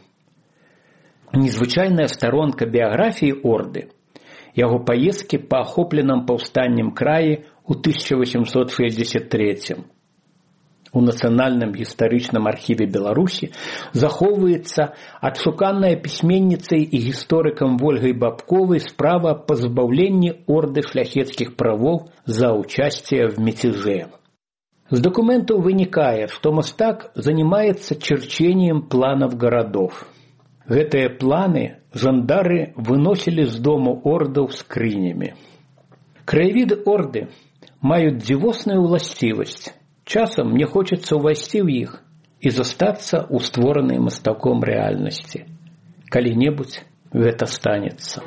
Незвычайная старонка біяграфіі Орды – яго паездкі па ахопленым паўстаннем краі ў 1863-м. У Нацыянальным гістарычным архіве Беларусі захоўваецца адшуканая пісьменніцай і гісторыкам Вольгай Бабковай справа па збаўленні Орды шляхецкіх правоў за участие в мятеже. З документаў вынікае, што мастак занимается черчением планов городов. Гэтыя планы жандары выносілі з дому ордаў скрынями. Краявіды Орды маюць дзівосную ўласцівасць. Часам мне хочется ўвайсці ў іх і застацца ў створанай мастаком рэальнасці. Калі-небудзь гэта станецца.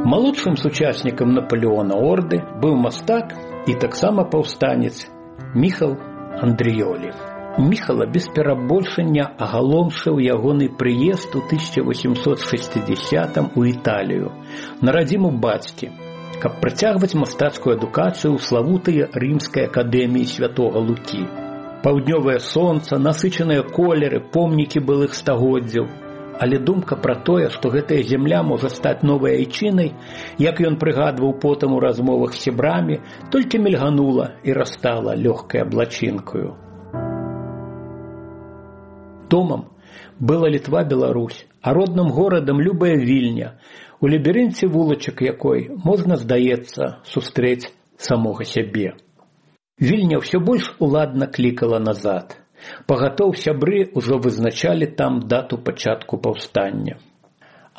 Малодшым сучаснікам Напалеона Орды быў мастак і таксама паўстанец Міхал Андрыёлі. Міхала без перабольшання агаломшыў ягоны прыезд у 1860-м у Італію на радзіму бацькі, каб працягваць мастацкую адукацыю ў славутай рымскай акадэміі святога Лукі. Паўднёвае сонца, насычаныя колеры, помнікі былых стагоддзяў. Але думка пра тое, што гэтая зямля можа стаць новай айчынай, як ён прыгадваў потым у размовах з сябрамі, толькі мільганула і растала лёгкай аблачынкаю. Домам была Літва-Беларусь, а родным горадам любая Вільня, у лабірынце вулачак якой можна, здаецца, сустрэць самога сябе. Вільня ўсё больш уладна клікала назад. Пагатоў сябры ўжо вызначалі там дату пачатку паўстання.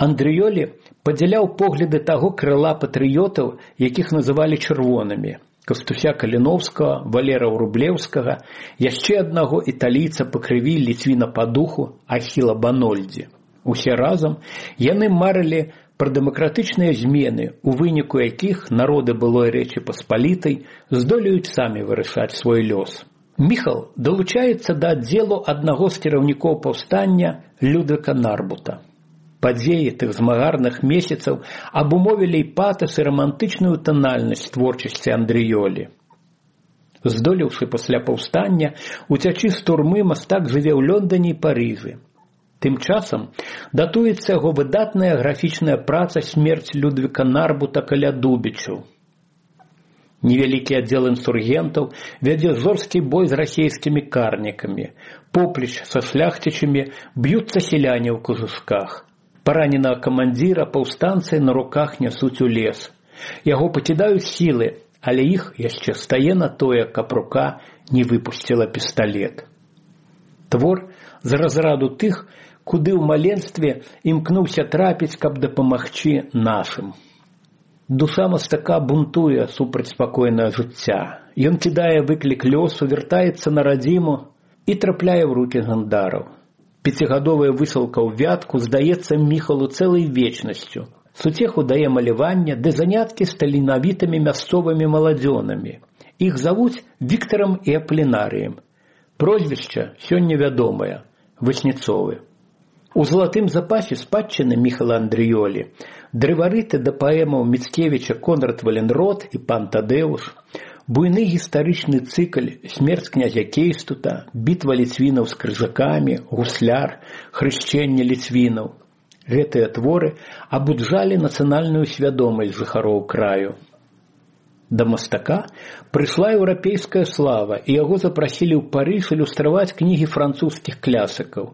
Андрыёлі падзяляў погляды таго крыла патрыётаў, якіх называлі чырвонымі. Кастуся Каліновскага, Валера Врублеўскага, яшчэ аднаго італійца па крыві, ліцвіна па духу, Ахіла Банольдзі. Усе разам яны марылі пра дэмакратычныя змены, у выніку якіх народы былой Рэчы Паспалітай здолеюць самі вырашаць свой лёс. Міхал далучаецца да аддзелу аднаго з кіраўнікоў паўстання Людвіка Нарбута. Падзеі тых змагарных месяцаў абумовілі і патас і рамантычную танальнасць творчасці Андрыёлі. Здолеўшы пасля паўстання уцячы з турмы, мастак жыве ў Лондоне і Парыжы. Тым часам датуецца яго выдатная графічная праца «Смерць Людвіка Нарбута каля Дубічаў». Невялікі аддзел інсургентаў вядзе жорсткі бой з расейскімі карнікамі. Поплеч са шляхцічамі б'юцца селяне ў кожушках. Параненага камандзіра паўстанцы на руках нясуць у лес. Яго пакідаюць сілы, але іх яшчэ стае на тое, каб рука не выпусціла пісталет. Твор з разраду тых, куды ў маленстве імкнуўся трапіць, каб дапамагчы нашым. Душа мастака бунтуе супраць спакойнага жыцця. Ён кідае выклік лёсу, вяртаецца на радзіму і трапляе ў рукі гандараў. Пяцігадовая высылка ў Вятку здаецца Міхалу цэлай вечнасцю. Суцеху дае маляванне ды заняткі з таленавітымі мясцовымі маладзёнамі. Іх завуць Віктарам і Аплінарыем. Прозвішча сёння вядомае – Васніцовы. У залатым запасе спадчыны Міхала Андрыёлі дрыварыты да паэмаў Міцкевіча Конрад Валенрод і пан Тадэуш, буйны гістарычны цыкль «Смерць князя Кейстута», «Бітва ліцвінаў з крыжакамі», «Гусляр», «Хрышчэнне ліцвінаў». Гэтыя творы абуджалі нацыянальную свядомасць жыхароў краю. Да мастака прыйшла еўрапейская слава, і яго запрасілі ў Парыж ілюстраваць кнігі французскіх клясыкаў.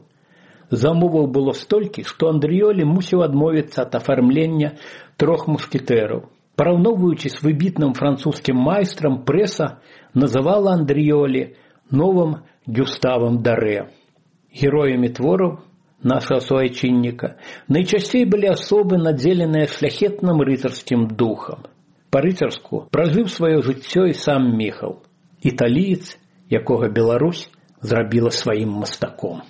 Замоваў было столькі, што Андрыёлі мусіў адмовіцца ад афармлення «Трох мушкетэраў». Параўноўваючы з выбітным французскім майстрам, прэса называла Андрыёлі новым Гюставам Дарэ. Героямі твораў нашага суайчынніка найчасцей былі асобы, надзеленыя шляхетным рыцарскім духам. Па-рыцарску пражыў сваё жыццё і сам Міхал, італіец, якога Беларусь зрабіла сваім мастаком.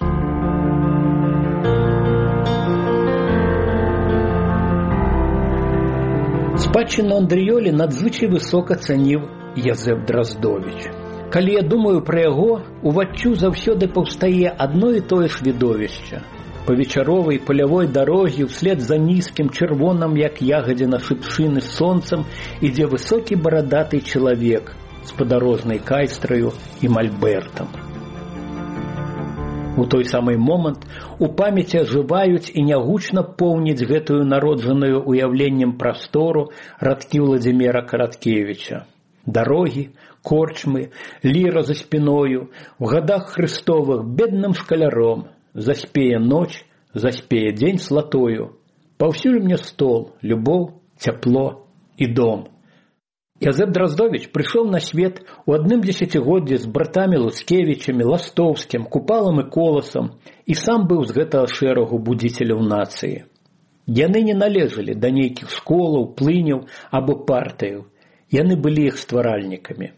Спадчыну Андрыёлі надзвычай высока цаніў Язэп Драздовіч. Калі я думаю пра яго, уваччу заўсёды паўстае адно і тое ж відовішча. Па вечаровай палявой дарогі ўслед за нізкім чырвоным, як ягадзіна шыпшыны сонцам, ідзе высокі барадаты чалавек з падарожнай кайстраю і мальбертам. У той самы момант у памяці ажываюць і нягучна поўняць гэтую народжаную уяўленнем прастору радкі Владзіміра Караткевіча. Дарогі, корчмы, ліра за спіною, у гадах Хрыстовых бедным шкаляром, заспее ноч, заспее дзень слатою, паўсюль мне стол, любоў, цяпло і дом. Язэп Драздовіч прыйшоў на свет у адным дзесяцігоддзі з братамі Луцкевічамі, Ластоўскім, Купалам і Коласам і сам быў з гэтага шэрагу будзіцеляў нацыі. Яны не належалі да нейкіх школаў, плыняў або партыяў. Яны былі іх стваральнікамі.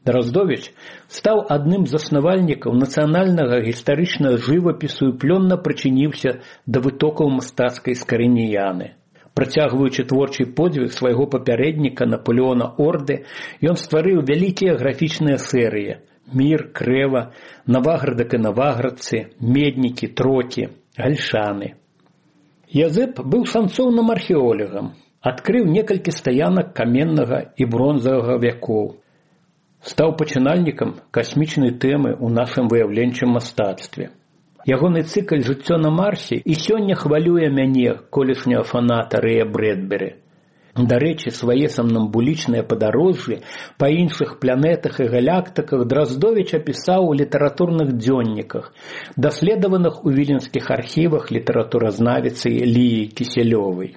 Драздовіч стаў адным з заснавальнікаў нацыянальнага гістарычнага жывапісу і плённа прычыніўся да вытокаў мастацкай скарыніяны. Працягваючы творчы подзвіг свайго папярэдніка Напалеона Орды, ён стварыў вялікія графічныя серыі «Мір», «Крэва», «Наваградак і наваградцы», «Меднікі», «Трокі», «Гальшаны». Язэп быў шанцоўным археолагам, адкрыў некалькі стаянак каменнага і бронзавага вякоў. Стаў пачынальнікам касмічнай тэмы ў нашым выяўленчым мастацтве. Ягоны цыкль «Жыццё на Марсе» і сёння хвалюе мяне, колішняга фаната Рэя Брэдбері. Дарэчы, свае самнамбулічныя падарожжы па іншых планетах і галактыках Драздовіч апісаў у літаратурных дзённіках, даследаваных у віленскіх архівах літаратуразнавіцы Ліі Кісялёвай.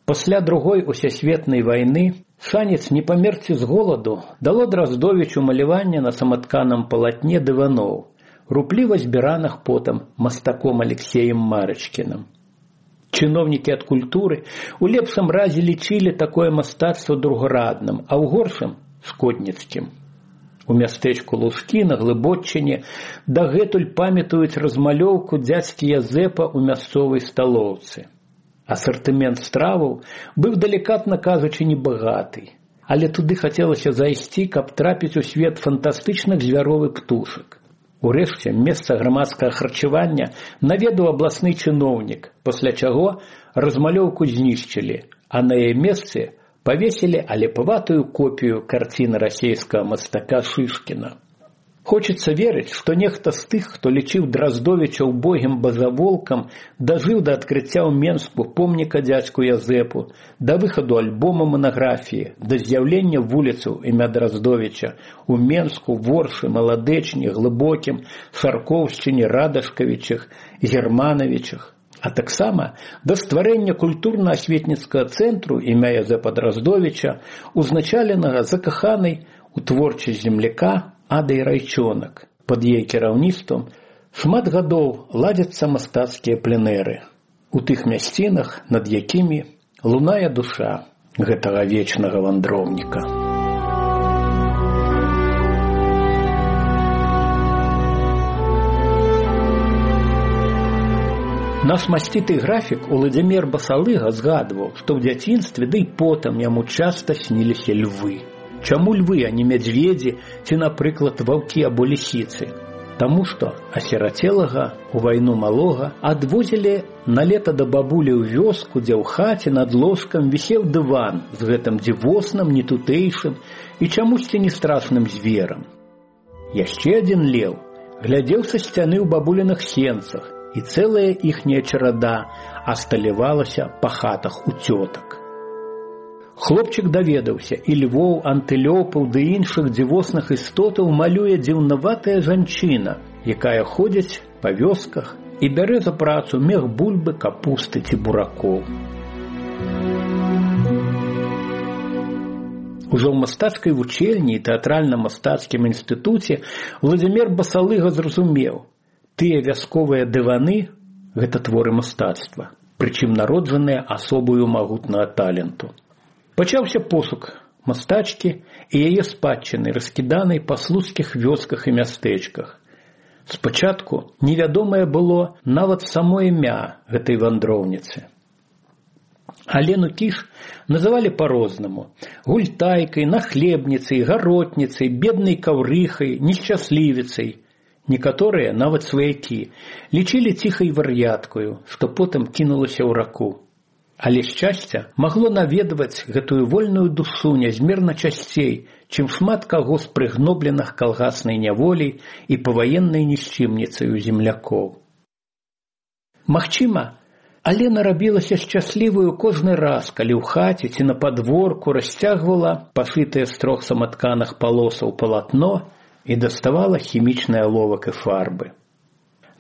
Пасля Другой усесветнай вайны шанец не памерці з голаду дало Драздовічу маляванне на саматканым палатне дываноў, рупліва збіраных потым мастаком Алексеем Марачкіным. Чыноўнікі ад культуры у лепшым разе лічылі такое мастацтва другарадным, а ў горшым – шкодніцкім. У мястэчку Лужкі на Глыбоччыне дагэтуль памятаюць размалёўку дзядзькі Язэпа ў мясцовай сталоўцы. Асартымент страваў быў, далікатна кажучы, небагаты, але туды хацелася зайсці, каб трапіць у свет фантастычных звяроў і птушак. Урэшце, месца грамадскага харчавання наведаў абласны чыноўнік, пасля чаго размалёўку знішчылі, а на яе месцы павесілі алепаватую копію карціны расейскага мастака Шышкіна. Хочацца верыць, што нехта з тых, хто лічыў Драздовіча убогім базаволкам, дажыў да адкрыцця ў Менску помніка дзядзьку Язэпу, да выхаду альбома манаграфіі, да з'яўлення вуліцаў імя Драздовіча у Менску, Воршы, Маладэчні, Глыбокім, Шаркоўшчыне, Радашкавічах, Германавічах, а таксама да стварэння культурна-асветніцкага цэнтру імя Язэпа Драздовіча, узначаленага закаханай у творчасць земляка Адай Райчонак. Пад яе кіраўніцтвам шмат гадоў ладзяцца мастацкія пленэры у тых мясцінах, над якімі лунае душа гэтага вечнага вандроўніка. Наш масціты графік Уладзімір Басалыга згадваў, што ў дзяцінстве, ды і потым яму часта сніліся львы. Чаму львы, а не мядзведзі ці, напрыклад, ваўкі або лісіцы? Таму што асірацелага у вайну малога адвозілі на лета да бабулі ў вёску, дзе ў хаце над ложкам вісеў дыван з гэтым дзівосным, нетутэйшым і чамусьці не страшным зверам. Яшчэ адзін леў глядзеў са сцяны ў бабуліных сенцах, і цэлая іхняя чарада асталявалася па хатах у цётак. Хлопчык даведаўся, і львоў, антылёпаў ды іншых дзівосных істотаў малюе дзіўнаватая жанчына, якая ходзіць па вёсках і бярэ за працу мех бульбы, капусты ці буракоў. Ужо ў мастацкай вучэльні і тэатральна-мастацкім інстытуце Уладзімір Басалыга зразумеў, тыя вясковыя дываны – гэта творы мастацтва, прычым народжаныя асобаю магутнага таленту. Пачаўся пошук мастачкі і яе спадчыны, раскіданай па слуцкіх вёсках і мястэчках. Спачатку невядомае было нават само імя гэтай вандроўніцы. Алену Кіш называлі па-рознаму – гультайкай, нахлебніцай, гаротніцай, беднай каўрыхай, нешчаслівіцай. Некаторыя, нават сваякі, лічылі ціхай вар'яткаю, што потым кінулася ў раку. Але шчасце магло наведваць гэтую вольную душу нязмерна часцей, чым шмат каго з прыгнобленых калгаснай няволей і паваеннай нішчымніцаю землякоў. Магчыма, Алена рабілася шчасліваю кожны раз, калі ў хаце ці на падворку расцягвала пашытае з 3 саматканых палосаў палатно і даставала хімічны аловак і фарбы.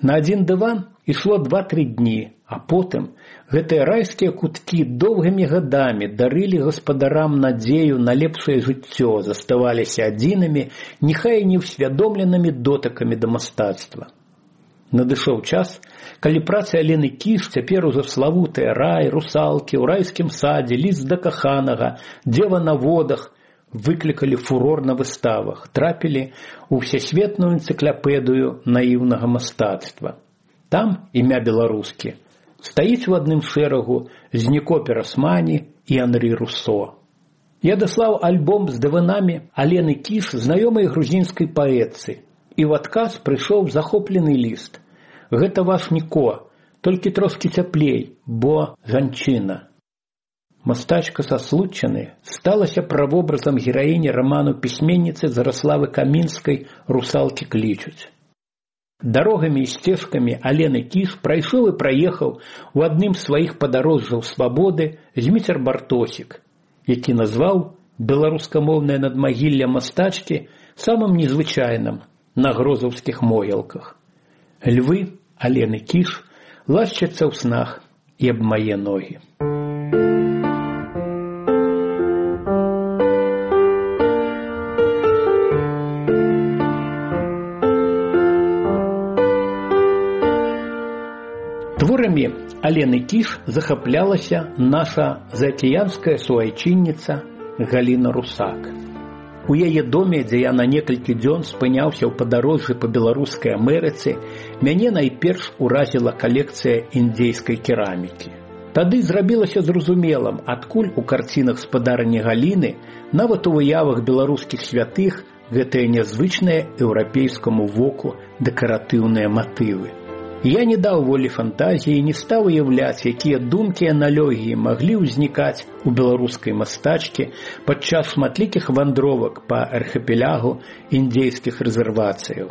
На адзін дыван ішло 2-3 дні, а потым гэтыя райскія куткі доўгімі гадамі дарылі гаспадарам надзею на лепшае жыццё, заставаліся адзінымі, няхай і неўсвядомленымі дотыкамі да мастацтва. Надышоў час, калі працы Алены Кіш, цяпер ужо славутыя «Рай», «Русалкі», «У райскім садзе», «Ліст да каханага», «Дзева на водах» выклікалі фурор на выставах, трапілі ў всесветную энцыклапедыю наіўнага мастацтва. Там імя беларускі стаіць у адным шэрагу з Ніко Перасмані і Анрі Руссо. Я даслаў альбом з дыванамі Алены Кіш знаёмай грузінскай паэтцы, і ў адказ прыйшоў захоплены ліст. Гэта ваш Ніко, толькі трошкі цяплей, бо жанчына. Мастачка са Случчыны сталася правобразам гераіні раману пісьменніцы Зараславы Камінскай «Русалкі клічуць». Дарогамі і сцежкамі Алены Кіш прайшоў і праехаў у адным з сваіх падарожжаў свабоды Зміцер Бартосік, які назваў беларускамоўнае надмагілле мастачкі самым незвычайным на грозаўскіх могілках. Львы Алены Кіш лашчацца ў снах і аб мае ногі. Творамі Алены Кіш захаплялася наша заакіянская суайчынніца Галіна Русак. У яе доме, дзе я на некалькі дзён спыняўся ў падарожжы па беларускай Амерыцы, мяне найперш уразіла калекцыя індзейскай керамікі. Тады зрабілася зразумелым, адкуль у карцінах спадарні Галіны, нават у выявах беларускіх святых, гэтыя нязвычныя еўрапейскаму воку дэкаратыўныя матывы. Я не даў волі фантазіі і не стаў уяўляць, якія думкі і аналогіі маглі ўзнікаць у беларускай мастачкі падчас шматлікіх вандровак па архіпелягу індзейскіх рэзервацыяў.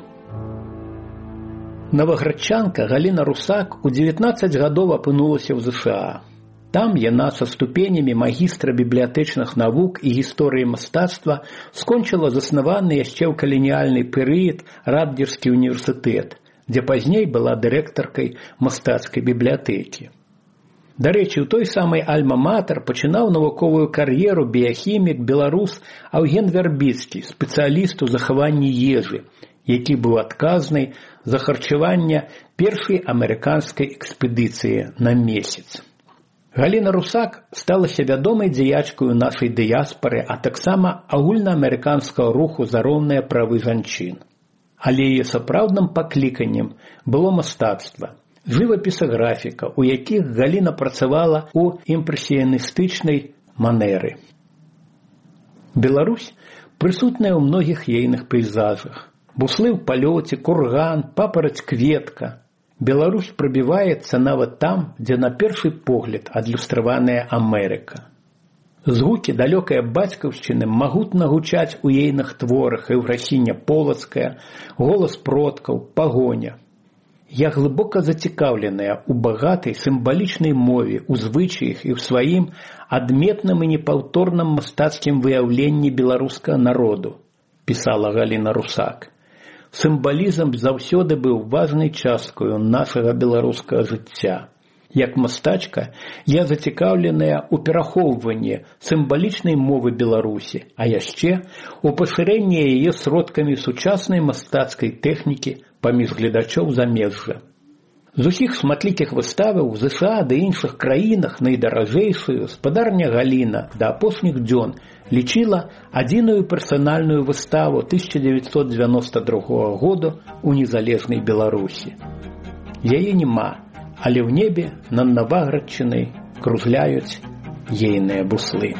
Новаградчанка Галіна Русак у 19 гадоў апынулася ў ЗША. Там яна са ступенямі магістра бібліятэчных навук і гісторыі мастацтва скончыла заснаваны яшчэ ў каланіяльны перыяд Радгерскі універсітэт, дзе пазней была дырэктаркай мастацкай бібліятэкі. Дарэчы, у той самай альма-матэр пачынаў навуковую кар'еру біяхімік беларус Аўген Вярбіцкі, спецыяліст у захаванні ежы, які быў адказны за харчаванне першай амерыканскай экспедыцыі на месяц. Галіна Русак сталася вядомай дзеячкаю нашай дыяспары, а таксама агульнаамерыканскага руху за роўныя правы жанчын. Але яе сапраўдным пакліканнем было мастацтва, жывапіса-графіка, у якіх Галіна працавала ў імпрэсіяністычнай манеры. Беларусь прысутная ў многіх ейных пейзажах. Буслы ў палёце, курган, папараць-кветка. Беларусь прабіваецца нават там, дзе на першы погляд адлюстраваная Амерыка. Згукі далёкай бацькаўшчыны магутна гучаць у ейных творах Еўфрасіня Полацкая, голас продкаў, пагоня. Я глыбока зацікаўленая ў багатай сімвалічнай мове, у звычаях і ў сваім адметным і непаўторным мастацкім выяўленні беларускага народу, пісала Галіна Русак. Сімвалізм заўсёды быў важнай часткаю нашага беларускага жыцця. Як мастачка, я зацікаўленая ў перахоўванні сімвалічнай мовы Беларусі, а яшчэ у пашырэнні яе сродкамі сучаснай мастацкай тэхнікі паміж гледачоў замежжа. З усіх шматлікіх выставаў у ЗША ды іншых краінах найдаражэйшую спадарня Галіна да апошніх дзён лічыла адзіную персанальную выставу 1992 году ў незалежнай Беларусі. Яе няма, але ў небе над Новаградчынай кружляюць ейныя буслы.